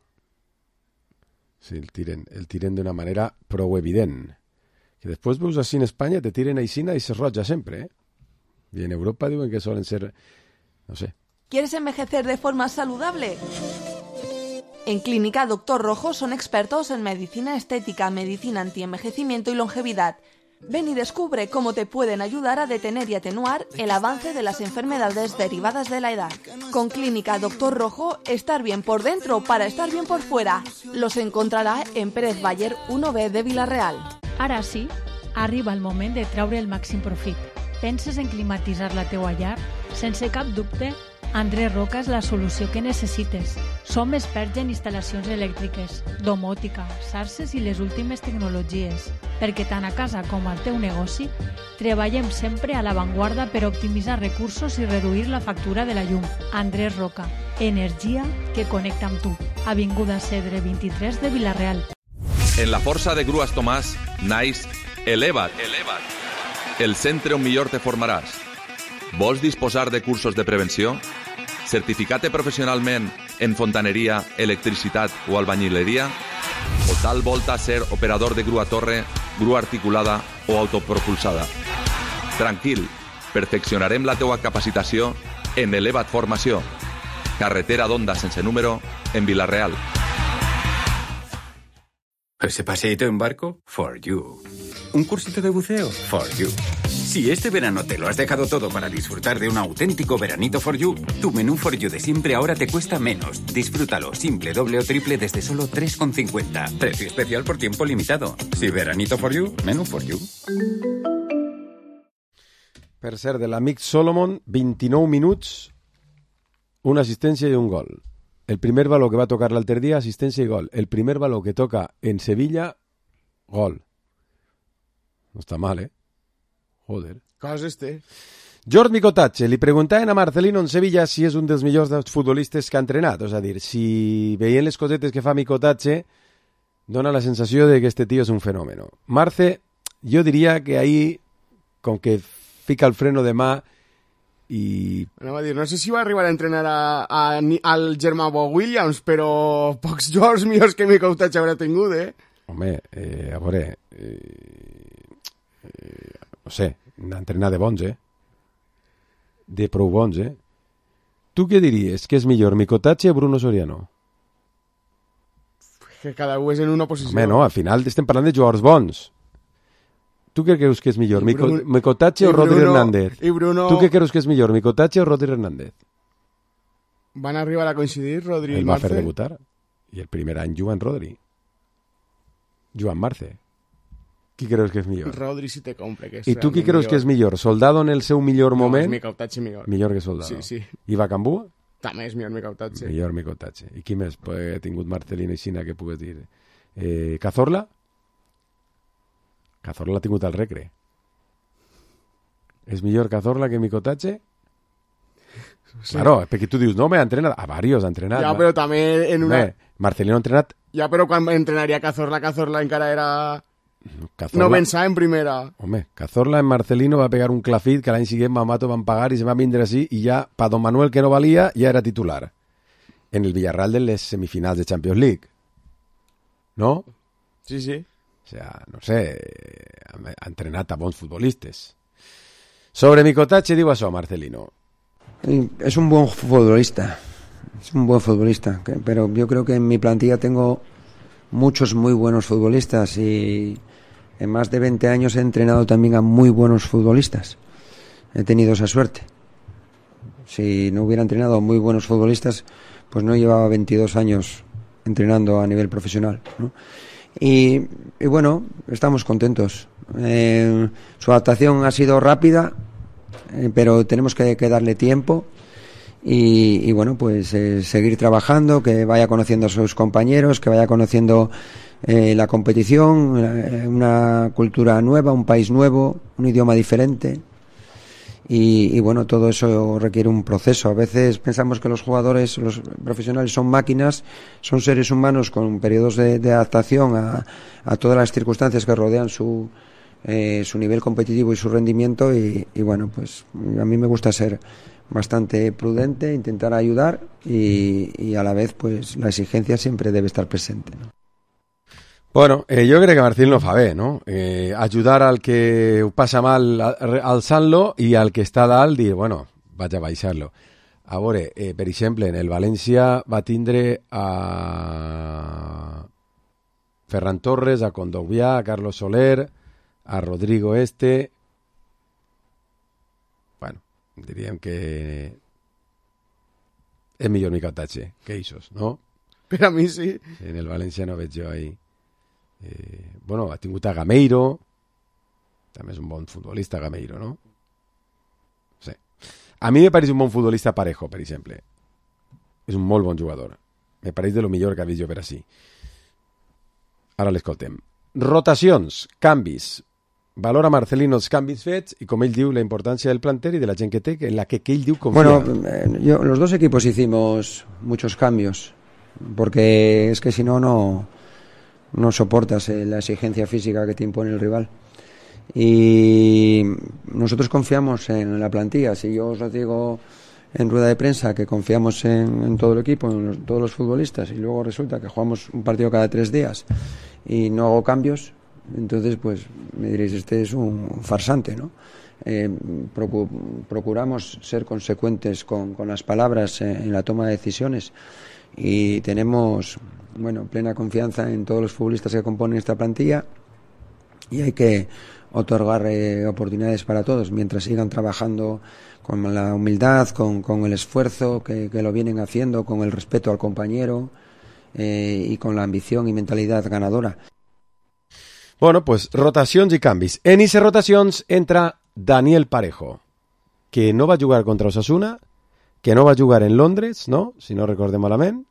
Sí, el tiren, el tiren d'una manera prou evident. Que després veus així en Espanya, te tiren aixina i se roja sempre, ¿eh? Y en Europa diuen que suelen ser, no sé. ¿Quieres envejecer de forma saludable? En Clínica Doctor Rojo son expertos en medicina estética, medicina antienvejecimiento y longevidad. Ven y descubre cómo te pueden ayudar a detener y atenuar el avance de las enfermedades derivadas de la edad. Con Clínica Doctor Rojo, estar bien por dentro para estar bien por fuera. Los encontrarà en Pérez Bayer uno B de Vila-real. Ara sí, arriba el moment de treure el màxim profit. Penses en climatitzar la teua llar? Sense cap dubte, Andrés Roca és la solució que necessites. Som experts en instal·lacions elèctriques, domòtica, xarxes i les últimes tecnologies, perquè tant a casa com al teu negoci treballem sempre a l'avantguarda per optimitzar recursos i reduir la factura de la llum. Andrés Roca, energia que connecta amb tu. Avinguda Cedre vint-i-tres de Vila-real. En la força de Grues Tomàs, naix Eleva't. Eleva't. El centre on millor te formaràs. Vols disposar de cursos de prevenció? Certificat professionalment en fontaneria, electricitat o albañileria? O tal volta ser operador de grua torre, grua articulada o autopropulsada? Tranquil, perfeccionarem la teua capacitació en Eleva't Formació. Carretera d'Onda sense número en Vila-real. ¿Ese paseíto en barco? For you. ¿Un cursito de buceo? For you. Si este verano te lo has dejado todo para disfrutar de un auténtico veranito For you, tu menú For you de siempre ahora te cuesta menos. Disfrútalo simple, doble o triple desde solo tres con cincuenta. Precio especial por tiempo limitado. Si veranito For you, menú For you. Per cert, de l'amic Solomon, vint-i-nou minuts, una assistència i un gol. El primer valor que va tocar l'altre dia, assistència i gol. El primer valor que toca en Sevilla, gol. No està mal, eh? Joder. Coses té. Jordi Micotacci, li preguntaven a Marcelino en Sevilla si és un dels millors dels futbolistes que ha entrenat. És a dir, si veient les cosetes que fa Micotacci, dona la sensació de que este tío és un fenómeno. Marce, jo diria que ahí, com que fica el freno de mà i... No, va dir, no sé si va arribar a entrenar a, a, al germà Bo Williams, però pocs jugadors millors que Micotacci haurà tingut, eh? Home, eh, a veure... Eh... Eh, no sé, entrenar de bons, eh? De prou bons, eh? Tu què diries? Que és millor, Micotacci o Bruno Soriano? Que cada un és en una posició. Home, no, al final estem parlant de jugadors bons. Tu què creus que és millor, Bruno, Micotacci o Rodri Hernández? I Bruno... Tu què creus que és millor, Micotacci o Rodri Hernández? Van arribar a coincidir, Rodri i Marce? El va Marce? fer debutar. I el primer any Joan Rodri. Joan Marce. Qui creus que és millor? Rodri si te compre. Que és I tu qui creus millor. Que és millor? Soldado en el seu millor no, moment? No, Micotacci millor. Millor que Soldado. Sí, sí. I Bacambú? També és millor Micotacci. Millor Micotacci. I qui més ha tingut Marcelino i Xina que pugues dir? Eh, Cazorla? Cazorla l'ha tingut al Recre. És millor Cazorla que Micotacci? Sí. Claro, perquè tu dius, no, me ha entrenat. A varios ha entrenat. Ja, però també en una... Bé, Marcelino ha entrenat... Ja, però quan entrenaria Cazorla, Cazorla encara era... Cazorla... No pensava en primera. Home, Cazorla en Marcelino va pegar un clafit que l'any siguiente Mamato van pagar i se va vindre així i ja, pa Don Manuel que no valia, ja era titular. En el Villarreal de les semifinals de Champions League. ¿No? Sí, sí. O sea, no sé, ha entrenat a bons futbolistes. Sobre Micotacci diu això, Marcelino. Es un buen futbolista, es un buen futbolista, pero yo creo que en mi plantilla tengo muchos muy buenos futbolistas y en más de veinte años he entrenado también a muy buenos futbolistas. He tenido esa suerte. Si no hubiera entrenado a muy buenos futbolistas, pues no llevaba veintidós años entrenando a nivel profesional, ¿no? Y, y bueno, estamos contentos. Eh, su adaptación ha sido rápida, eh, pero tenemos que, que darle tiempo y, y bueno, pues eh, seguir trabajando, que vaya conociendo a sus compañeros, que vaya conociendo eh, la competición, eh, una cultura nueva, un país nuevo, un idioma diferente y, y bueno, todo eso requiere un proceso. A veces pensamos que los jugadores, los profesionales son máquinas, son seres humanos con periodos de, de adaptación a, a todas las circunstancias que rodean su, eh, su nivel competitivo y su rendimiento y, y bueno, pues a mí me gusta ser bastante prudente, intentar ayudar y, y a la vez pues la exigencia siempre debe estar presente, ¿no? Bueno, eh, jo crec que Martín lo fa bé, no? Eh, ajudar al que ho passa mal alçant-lo i al que està dalt dir, bueno, vaig a baixar-lo. A veure, eh, per exemple, en el València va tindre a Ferran Torres, a Condogbià, a Carlos Soler, a Rodrigo Este. Bueno, diríem que és millor Micatatxe que ells, no? Per a mi sí. En el València no veig jo ahí. Eh, bueno, ha tingut a Gameiro, també és un bon futbolista Gameiro, no? Sí. A mi me pareix un bon futbolista Parejo, per exemple. És un molt bon jugador. Me pareix de lo millor que ha vist jo per així. Ara l'escoltem. Rotacions, canvis. Valora Marcelino els canvis fets i, com ell diu, la importància del planter i de la gent que té, en la que, que ell diu confia. Bueno, eh, yo, los dos equipos hicimos muchos cambios, porque es que si no, no... no soportas eh, la exigencia física que te impone el rival. Y nosotros confiamos en la plantilla. Si yo os lo digo en rueda de prensa que confiamos en, en todo el equipo, en los, todos los futbolistas, y luego resulta que jugamos un partido cada tres días y no hago cambios, entonces pues me diréis, este es un farsante, ¿no? Eh, procu procuramos ser consecuentes con, con las palabras eh, en la toma de decisiones y tenemos, bueno, plena confianza en todos los futbolistas que componen esta plantilla y hay que otorgar eh, oportunidades para todos mientras sigan trabajando con la humildad, con, con el esfuerzo que, que lo vienen haciendo, con el respeto al compañero eh, y con la ambición y mentalidad ganadora. Bueno, pues rotacions i canvis. En aquestes rotacions entra Daniel Parejo, que no va jugar contra Osasuna, que no va jugar en Londres, no? Si no recordem malament.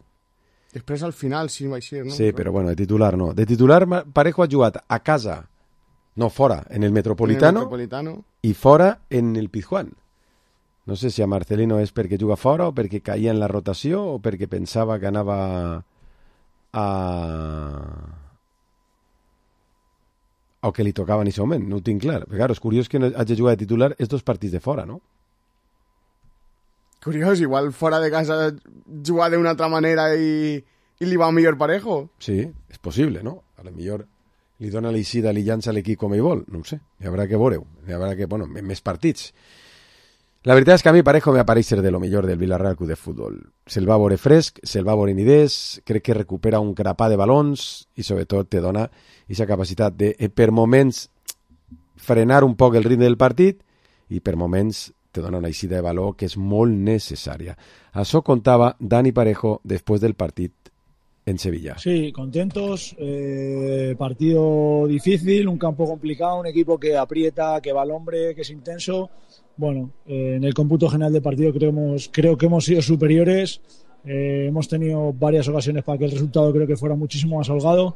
Després al final sí va ser, no? Sí, però bueno, de titular no. De titular Parejo ha jugat a casa, no, fora, en el Metropolitano, en el Metropolitano. i fora en el Pizjuán. No sé si a Marcelino és perquè juga fora o perquè caia en la rotació o perquè pensava que anava a... o que li tocava en aquest moment, no ho tinc clar. Però, clar, és curiós que no hagi jugat de titular estos partits de fora, no? Curiós, igual fora de casa jugar d'una altra manera i, i li va millor Parejo. Sí, és possible, no? A lo millor li dona l'eixida, li llança l'equip com ell vol, no ho sé. Hi haurà que veure-ho, hi haurà que, bueno, més partits. La veritat és que a mi Parejo me apareix ser de lo millor del Villarreal Club de Futbol. Se'l va veure fresc, se'l va veure en idees, crec que recupera un grapà de balons i sobretot te dona aquesta capacitat de, per moments, frenar un poc el ritme del partit i per moments te dona una eixida de valor que és molt necessària. Això contava Dani Parejo després del partit en Sevilla. Sí, contentos, eh, partido difícil, un campo complicado, un equipo que aprieta, que va al hombre, que es intenso. Bueno, eh, en el cómputo general del partido creo, hemos, creo que hemos sido superiores, eh, hemos tenido varias ocasiones para que el resultado creo que fuera muchísimo más holgado,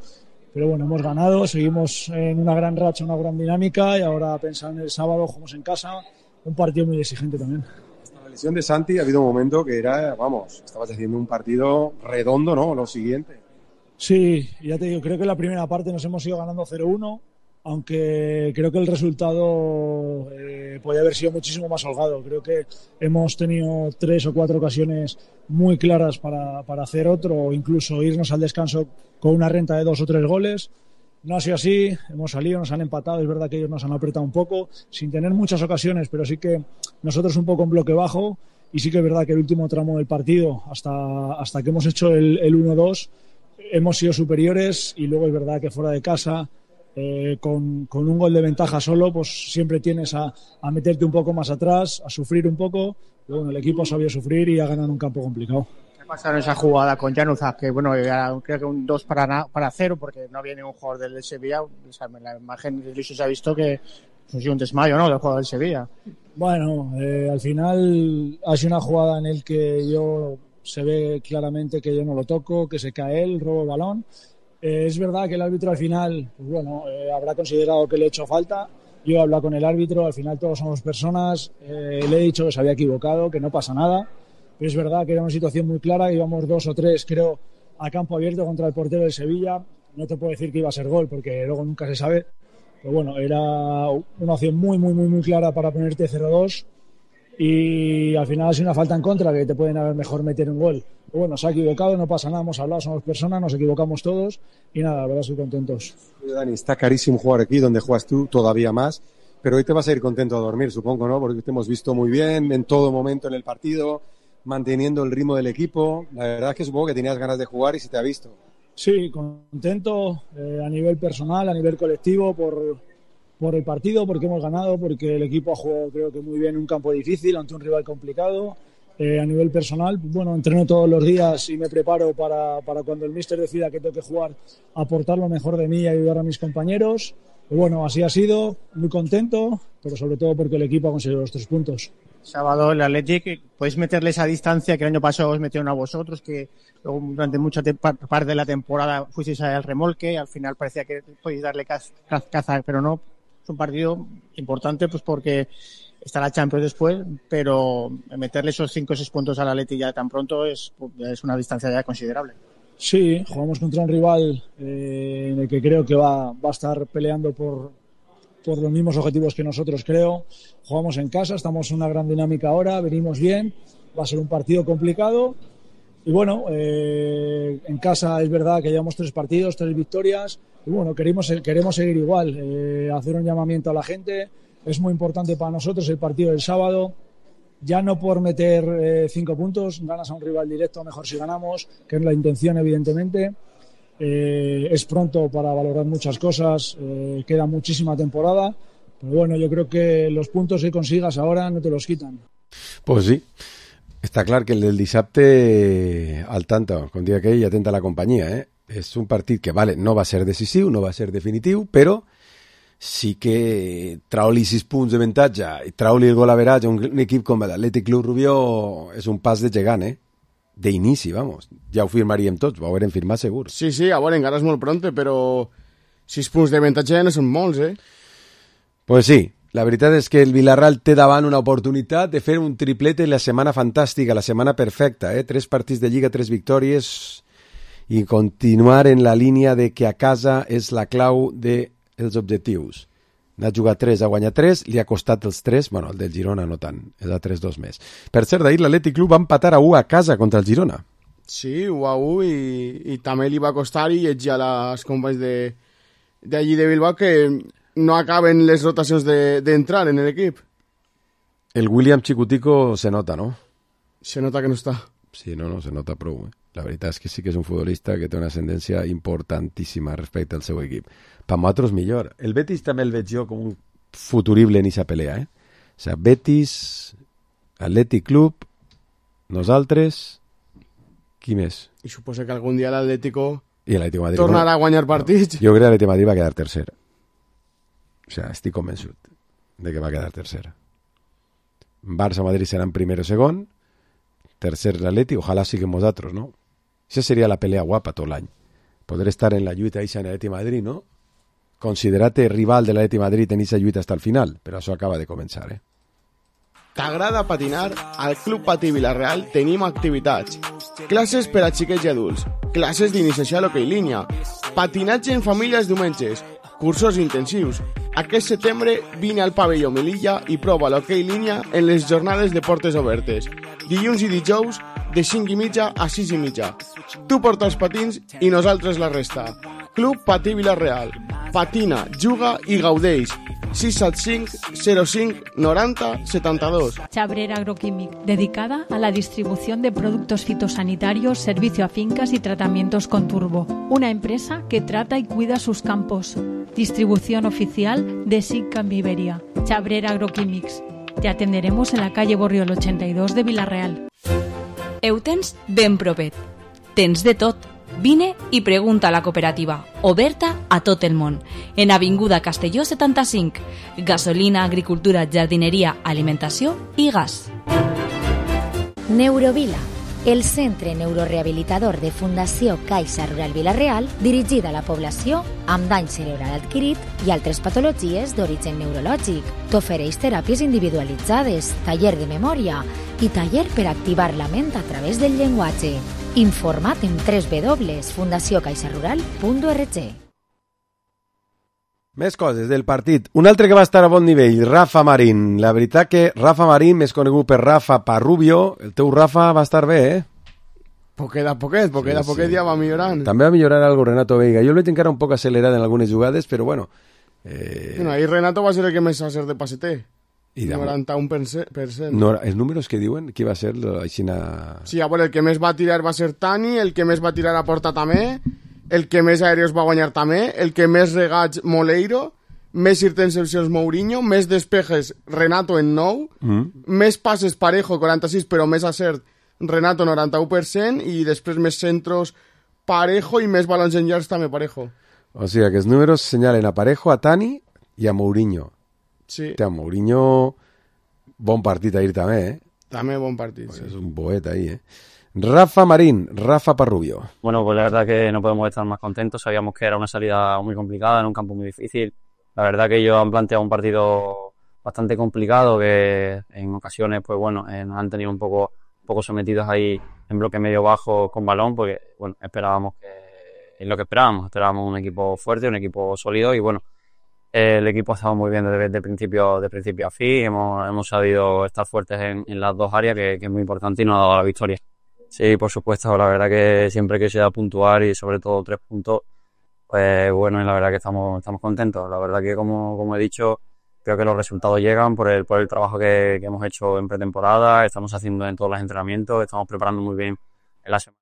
pero bueno, hemos ganado, seguimos en una gran racha, una gran dinámica y ahora pensar en el sábado, jugamos en casa, un partido muy exigente también. Hasta la lesión de Santi ha habido un momento que era, vamos, estabas haciendo un partido redondo, ¿no? Lo siguiente. Sí, ya te digo, creo que en la primera parte nos hemos ido ganando cero uno, aunque creo que el resultado eh, podía haber sido muchísimo más holgado. Creo que hemos tenido tres o cuatro ocasiones muy claras para, para hacer otro o incluso irnos al descanso con una renta de dos o tres goles. No ha sido así, hemos salido, nos han empatado, es verdad que ellos nos han apretado un poco, sin tener muchas ocasiones, pero sí que nosotros un poco en bloque bajo y sí que es verdad que el último tramo del partido, hasta, hasta que hemos hecho el, el uno dos, hemos sido superiores y luego es verdad que fuera de casa, Eh, con, con un gol de ventaja solo, pues siempre tienes a, a meterte un poco más atrás, a sufrir un poco, pero bueno, el equipo sabía sufrir y ha ganado en un campo complicado. ¿Qué pasa en esa jugada con Januzaj? Que bueno, creo que un dos para, para cero porque no había ningún jugador del Sevilla, o sea, en la imagen de Luis se ha visto que ha sido un desmayo, ¿no?, del jugador del Sevilla. Bueno, eh, al final ha sido una jugada en la que yo se ve claramente que yo no lo toco, que se cae él, robo el balón. Eh, es verdad que el árbitro al final, pues bueno, eh, habrá considerado que le he hecho falta, Yo he hablado con el árbitro, al final todos somos personas, eh, le he dicho que se había equivocado, que no pasa nada, pero es verdad que era una situación muy clara, íbamos dos o tres, creo, a campo abierto contra el portero del Sevilla. No te puedo decir que iba a ser gol, porque luego nunca se sabe, pero bueno, era una opción muy, muy, muy, muy clara para ponerte cero dos, y al final ha sido una falta en contra, que te pueden haber mejor meter un gol. Pero bueno, se ha equivocado, no pasa nada, hemos hablado, somos personas, nos equivocamos todos, y nada, la verdad estoy contentos. Dani, está carísimo jugar aquí, donde juegas tú, todavía más, pero hoy te vas a ir contento a dormir, supongo, ¿no? Porque te hemos visto muy bien en todo momento en el partido, manteniendo el ritmo del equipo. La verdad es que supongo que tenías ganas de jugar y se te ha visto. Sí, contento eh, a nivel personal, a nivel colectivo, por, por el partido, porque hemos ganado, porque el equipo ha jugado, creo que muy bien, en un campo difícil, ante un rival complicado. Eh, a nivel personal, bueno, entreno todos los días y me preparo para, para cuando el míster decida que tengo que jugar, aportar lo mejor de mí y ayudar a mis compañeros. Y bueno, así ha sido, muy contento, pero sobre todo porque el equipo ha conseguido los tres puntos. Sábado el Athletic, podéis meterle esa distancia que el año pasado os metieron a vosotros, que luego durante mucha te- parte de la temporada fuisteis al remolque, al final parecía que podéis darle caz- caz- caza, pero no. Es un partido importante pues porque está la Champions después, pero meterle esos cinco o seis puntos al Athletic ya tan pronto es, es una distancia ya considerable. Sí, jugamos contra un rival eh, en el que creo que va, va a estar peleando por, por los mismos objetivos que nosotros, creo. Jugamos en casa, estamos en una gran dinámica ahora, venimos bien, va a ser un partido complicado. Y bueno, eh, en casa es verdad que llevamos tres partidos, tres victorias, y bueno, queremos, queremos seguir igual, eh, hacer un llamamiento a la gente. Es muy importante para nosotros el partido del sábado, ya no por meter eh, cinco puntos, ganas a un rival directo, mejor si ganamos, que es la intención evidentemente. Eh, es pronto para valorar muchas cosas, eh, queda muchísima temporada, pero bueno, yo creo que los puntos que consigas ahora no te los quitan. Pues sí, està clar que el del dissabte, al tanto, com dia aquell, atenta a la companyia, eh? És un partit que, vale, no va ser decisiu, no va ser definitiu, però sí que trau-li sis punts d'avantatge i trau-li el gol average a un, un equip com l'Atlètic Club Rubió és un pas de gegant, eh? D'inici, vamos. Ja ho firmaríem tots, ho haurem firmat segur. Sí, sí, a veure, encara és molt pronte, però sis punts d'avantatge no són molts, eh? Pues sí, la veritat és que el Villarreal té davant una oportunitat de fer un triplete la setmana fantàstica, la setmana perfecta, eh? Tres partits de Lliga, tres victòries i continuar en la línia de que a casa és la clau dels objectius. N'ha jugat tres, ha guanyat tres, li ha costat els tres, bueno, el del Girona no tant, és a tres dos més. Per cert, d'ahir l'Atlètic Club va empatar a u a casa contra el Girona. Sí, u a u, i, i també li va costar, i llegia les companys de d'allí de Bilbao que no acaben les rotacions d'entrar de, en l'equip. El William Chicutico se nota, ¿no? Se nota que no està. Sí, no, no, se nota prou. Eh? La veritat és que sí que és un futbolista que té una ascendència importantíssima respecte al seu equip. Per nosaltres millor. El Betis també el veig jo com un futurible en aquesta pelea, eh? O sigui, Betis, Atlètic Club, nosaltres, qui més? I suposo que algun dia l'Atlético I l'Atlético Madrid tornarà a guanyar partits. No, jo crec que l'Atlético Madrid va quedar tercer. O sigui, estic convençut de que va quedar tercer. Barça-Madrid seran primer o segon, tercer l'Atleti, ojalà siguem nosaltres, no? Això seria la pelea guapa tot l'any. Poder estar en la lluita eixa en l'Atleti Madrid, no? Considerar-te rival de l'Atleti Madrid en eixa lluita hasta el final, però això acaba de començar, eh? T'agrada patinar? Al Club Patí Vilareal tenim activitats. Classes per a xiquets i adults, classes d'iniciació a l'hoquei línia, patinatge en famílies diumenges, cursos intensius. Aquest setembre vine al pavelló Melilla i prova l'hoquei línia en les jornades de portes obertes. Dilluns i dijous de cinc i mitja a sis i mitja. Tu porta els patins i nosaltres la resta. Club Patí Vilareal. Patina, juga i gaudeix. sis set cinc zero cinc noranta setanta-dos. Chabrera Agroquímic, dedicada a la distribución de productos fitosanitarios, servicio a fincas y tratamientos con turbo. Una empresa que trata y cuida sus campos. Distribución oficial de SICAM Iberia. Chabrera Agroquímics. Te atenderemos en la calle Borriol ochenta y dos de Vilareal. Eutens ben propet. Tens de tot. Vine i pregunta a la cooperativa, oberta a tot el món. En Avinguda Castelló setanta-cinc. Gasolina, agricultura, jardineria, alimentació i gas. Neurovila, el centre neurorehabilitador de Fundació Caixa Rural Vila-real, dirigida a la població amb dany cerebral adquirit i altres patologies d'origen neurològic. T'ofereix teràpies individualitzades, taller de memòria i taller per activar la ment a través del llenguatge. Informa't en w w w punt fundació caixa rural punt org. Més coses del partit. Un altre que va estar a bon nivell, Rafa Marín. La veritat que Rafa Marín, més conegut per Rafa Parrubio, el teu Rafa va estar bé, eh? Poquet a poquet, poquet sí, a poquet sí. Ja va millorant. També va millorar algo Renato Veiga. Jo el veig encara un poc accelerat en algunes jugades, però bueno... Eh... Bueno, ahí Renato va ser el que més va ser de passeter. I noranta-un per cent. No, els números que diuen, qui va ser la Xina... Sí, a veure, el que més va tirar va ser Tani, el que més va tirar a porta també, el que més aèreos va guanyar també, el que més regats Moleiro, més intercepcions Mourinho, més despejes Renato en nou, mm. més passes Parejo, quaranta-sis, però més acert Renato, noranta-u per cent, i després més centros Parejo i més balons en yards també Parejo. O sigui, que els números senyalen a Parejo, a Tani i a Mourinho. Sí. Hòstia, Mourinho, bon partit ahir també, eh? També bon partit, pues sí. Es un poeta ahí, eh? Rafa Marín, Rafa Parrubio. Bueno, pues la verdad que no podemos estar más contentos. Sabíamos que era una salida muy complicada, en un campo muy difícil. La verdad que ellos han planteado un partido bastante complicado, que en ocasiones, pues bueno, eh, nos han tenido un poco, un poco sometidos ahí en bloque medio bajo con balón, porque bueno, esperábamos que, es lo que esperábamos, esperábamos un equipo fuerte, un equipo sólido y bueno, el equipo ha estado muy bien desde el principio, de principio a fin. Hemos, hemos sabido estar fuertes en, en las dos áreas, que, que es muy importante y nos ha dado la victoria. Sí, por supuesto, la verdad que siempre que sea puntuar y sobre todo tres puntos, pues bueno, y la verdad que estamos, estamos contentos. La verdad que como, como he dicho, creo que los resultados llegan por el, por el trabajo que, que hemos hecho en pretemporada, estamos haciendo en todos los entrenamientos, estamos preparando muy bien en la semana.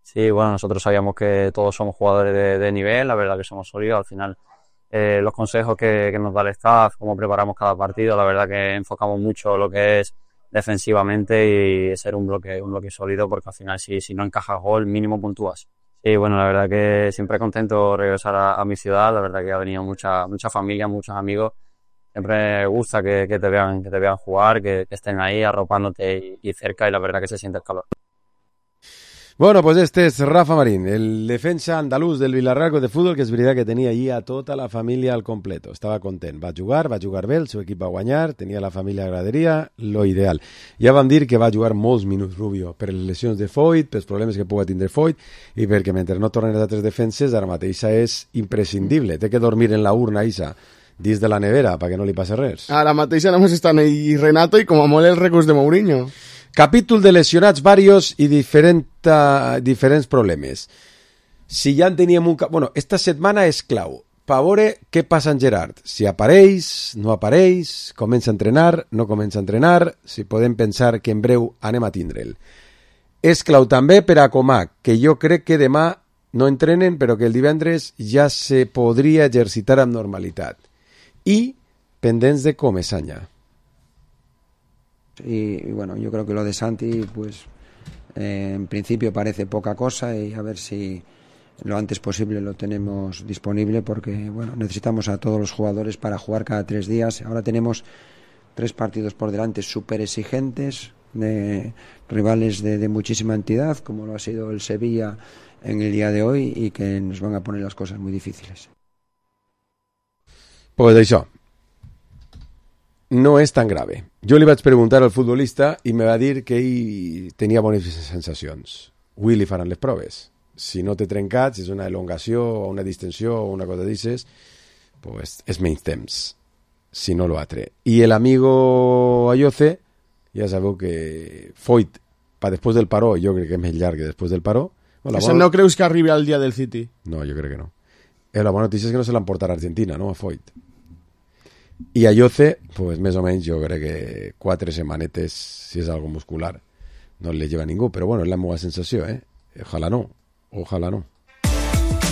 Sí, bueno, nosotros sabíamos que todos somos jugadores de, de nivel, la verdad que somos sólidos. Al final, eh, los consejos que, que nos da el staff, cómo preparamos cada partido, la verdad que enfocamos mucho lo que es defensivamente y ser un bloque un bloque sólido, porque al final si, si no encajas gol, mínimo puntúas. Sí, bueno, la verdad que siempre contento regresar a, a mi ciudad, la verdad que ha venido mucha mucha familia, muchos amigos. Siempre me gusta que, que te vean que te vean jugar, que, que estén ahí arropándote y, y cerca, y la verdad que se siente el calor. Bueno, pues este es Rafa Marín, el defensa andalús del Villarreal de Fútbol, que és veritat que tenia allí a tota la família al completo. Estava content. Va jugar, va jugar bé, el seu equip va guanyar, tenia la família a graderia, lo ideal. Ja vam dir que va jugar molts minuts Rubio per les lesions de Foyt, pels problemes que pugui tindre Foyt, i perquè mentre no tornen les altres defenses, ara mateix és imprescindible. Té que dormir en la urna, Isa, dins de la nevera, perquè no li passi res. Ara mateix només estan ahí Renato i com a molt el recurs de Mourinho. Capítol de lesionats varios i diferent, uh, diferents problemes. Si ja en teníem un... Bueno, esta setmana és clau. Per veure què passa en Gerard. Si apareix, no apareix, comença a entrenar, no comença a entrenar, si podem pensar que en breu anem a tindre'l. És clau també per a Comac, que jo crec que demà no entrenen, però que el divendres ja se podria exercitar amb normalitat. I pendents de Comesaña. Y, y bueno, yo creo que lo de Santi, pues eh, en principio parece poca cosa, y a ver si lo antes posible lo tenemos disponible, porque bueno, necesitamos a todos los jugadores para jugar cada tres días. Ahora tenemos tres partidos por delante súper exigentes, de rivales de, de muchísima entidad, como lo ha sido el Sevilla en el día de hoy, y que nos van a poner las cosas muy difíciles. Pues això no és tan grave. Jo li vaig preguntar al futbolista i me va dir que ell tenia bones sensacions. Avui li faran les proves. Si no té trencats, és una elongació o una distensió o una cosa d'aixes, pues és menys temps, si no lo atre. I el amigo Ayoce, ja sabeu que Foyt, pa després del paró, jo crec que és més llarg que després del paró. Bueno, Eso bona... no creus que arribi al dia del City? No, jo crec que no. Eh, la bona notícia és que no se l'emportarà a Argentina, no? A Foyt. I a Yoce, pues més o menys jo crec que quatre setmanetes, si és algo muscular, no le lleva ningú, però bueno, és la meva sensació, eh? Ojalá no, ojalá no.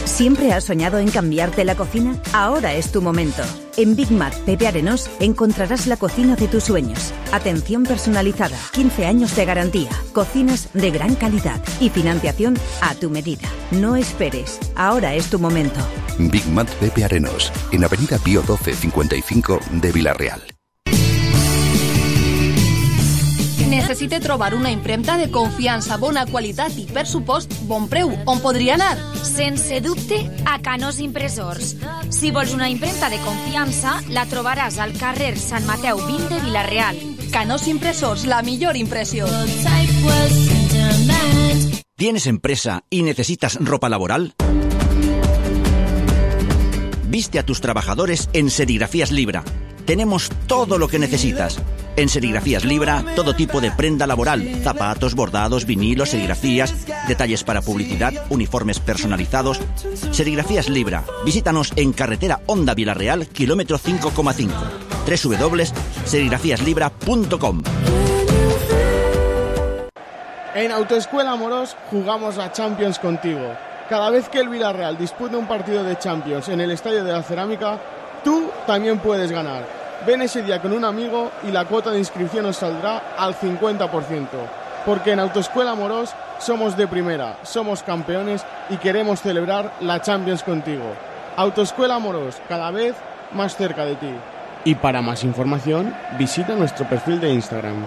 ¿Siempre has soñado en cambiarte la cocina? Ahora es tu momento. En Big Mac Pepe Arenós encontrarás la cocina de tus sueños. Atención personalizada, quince años de garantía, cocinas de gran calidad y financiación a tu medida. No esperes, ahora es tu momento. Big Mac Pepe Arenós, en Avenida Pío doce cincuenta y cinco de Villarreal. necessite trobar una impremta de confiança, bona qualitat i, per supost, bon preu, on podria anar? Sense dubte, a Canós Impressors. Si vols una impremta de confiança, la trobaràs al carrer Sant Mateu vint de Vila-real. Canós Impressors, la millor impressió. ¿Tienes empresa y necesitas ropa laboral? Viste a tus trabajadores en Serigrafías Libra. Tenemos todo lo que necesitas. En Serigrafías Libra, todo tipo de prenda laboral, zapatos, bordados, vinilos, serigrafías, detalles para publicidad, uniformes personalizados. Serigrafías Libra. Visítanos en carretera Honda Vila-real, kilómetro cinco coma cinco. doble u doble u doble u punto serigrafías libra punto com. En Autoescuela Amorós jugamos la Champions contigo. Cada vez que el Villarreal dispute un partido de Champions en el Estadio de la Cerámica, tú también puedes ganar. Ven ese día con un amigo y la cuota de inscripción os saldrá al cincuenta por ciento. Porque en Autoescuela Amorós somos de primera, somos campeones y queremos celebrar la Champions contigo. Autoescuela Amorós, cada vez más cerca de ti. Y para más información, visita nuestro perfil de Instagram.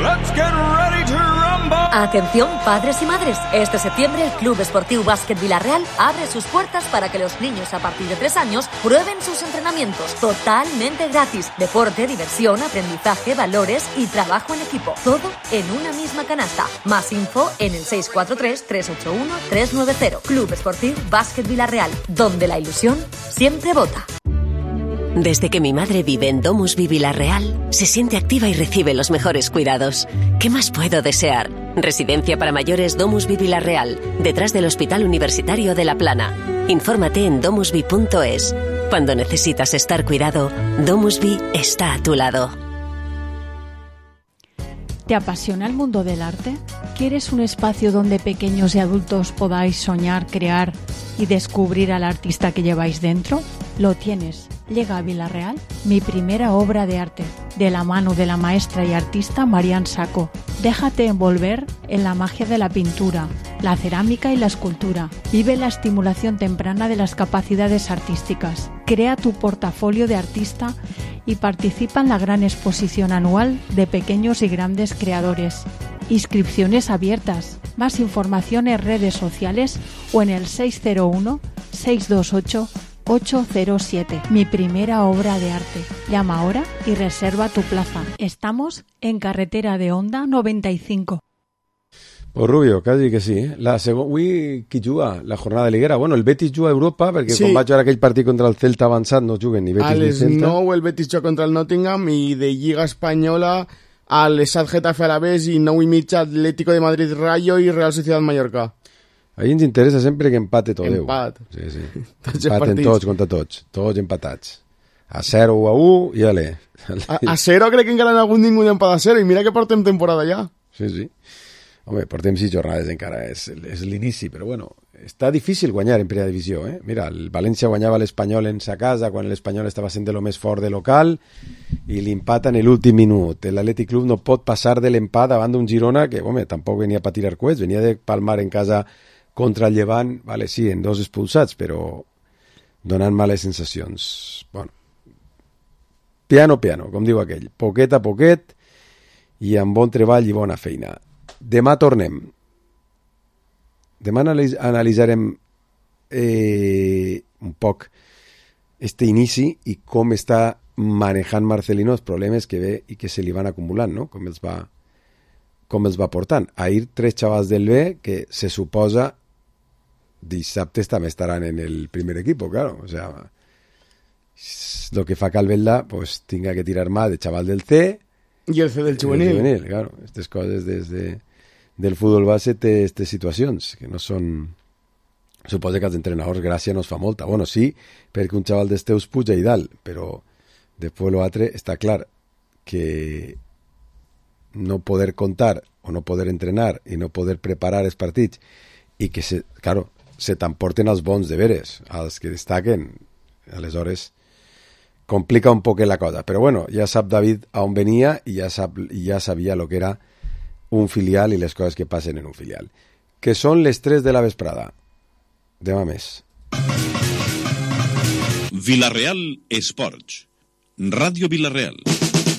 Let's get ready to rumble. Atención, padres y madres. Este septiembre el Club Esportiu Básquet Vila-real abre sus puertas para que los niños a partir de tres años prueben sus entrenamientos totalmente gratis. Deporte, diversión, aprendizaje, valores y trabajo en equipo. Todo en una misma canasta. Más info en el seis cuatro tres, tres ocho uno, tres nueve cero. Club Esportiu Básquet Vila-real, donde la ilusión siempre vota. Desde que mi madre vive en Domusvi Vila-real, se siente activa y recibe los mejores cuidados. ¿Qué más puedo desear? Residencia para mayores Domusvi Vila-real, detrás del Hospital Universitario de La Plana. Infórmate en domusvi punto es. Cuando necesitas estar cuidado, Domusvi está a tu lado. ¿Te apasiona el mundo del arte? ¿Quieres un espacio donde pequeños y adultos podáis soñar, crear y descubrir al artista que lleváis dentro? Lo tienes. Llega a Vila-real mi primera obra de arte, de la mano de la maestra y artista Marian Saco. Déjate envolver en la magia de la pintura, la cerámica y la escultura. Vive la estimulación temprana de las capacidades artísticas. Crea tu portafolio de artista y participa en la gran exposición anual de pequeños y grandes creadores. Inscripciones abiertas. Más información en redes sociales o en el seis cero uno, seis dos ocho, ocho cero siete. Mi primera obra de arte. Llama ahora y reserva tu plaza. Estamos en carretera de Honda noventa y cinco. Pues Rubio, quasi que sí. Eh? La segon... Avui qui juga? La jornada liguera. Bueno, el Betis juga a Europa perquè sí. Quan vaig veure aquell partit contra el Celta avançat no juguen ni Betis a ni Celta. A les nou el Betis juga contra el Nottingham i de Lliga Espanyola al Esad Getafe Alavés i nou i mitja Atlético de Madrid Rayo i Real Sociedad Mallorca. A mi ens interessa sempre que empate tot. Empat. Sí, sí. Tots empaten tots contra tots. Tots empatats. A zero o a u i ale. A, a zero crec que encara no ha hagut ningú empat a zero i mira que portem temporada ja. Sí, sí. Home, portem sis jornades encara, és, és l'inici, però bueno, està difícil guanyar en primera divisió, eh? Mira, el València guanyava l'Espanyol en sa casa quan l'Espanyol estava sent de lo més fort de local i l'empat en l'últim minut. L'Atlètic Club no pot passar de l'empat davant d'un Girona que, home, tampoc venia per tirar coets, venia de palmar en casa contra el Llevant, vale, sí, en dos expulsats, però donant males sensacions. Bueno, piano, piano, com diu aquell, poquet a poquet i amb bon treball i bona feina. Demà tornem. Demà analitzarem eh, un poc este inici i com està manejant Marcelino els problemes que ve i que se li van acumulant, no? Com els va, com els va portant. Ahir tres xavals del B que se suposa dissabtes també estaran en el primer equipo, claro. O sea, lo que fa Calvelda pues tenga que tirar más de chaval del C y el C del juvenil. El juvenil, claro. Estas coses des de, del futbol base té aquestes situacions que no són... Suposa que als entrenadors gràcia no es fa molta. Bueno, sí, perquè un xaval d'esteus puja i dalt, però després l'altre està clar que no poder contar o no poder entrenar i no poder preparar els partits i que, se, claro, se t'emporten els bons deberes, els que destaquen. Aleshores, complica un poc la cosa. Però bueno, ja sap David a on venia i ja, sap, i ja sabia el que era un filial i les coses que passen en un filial. Que són les tres de la vesprada. Demà més. Vila-real Esports. Radio Villarreal.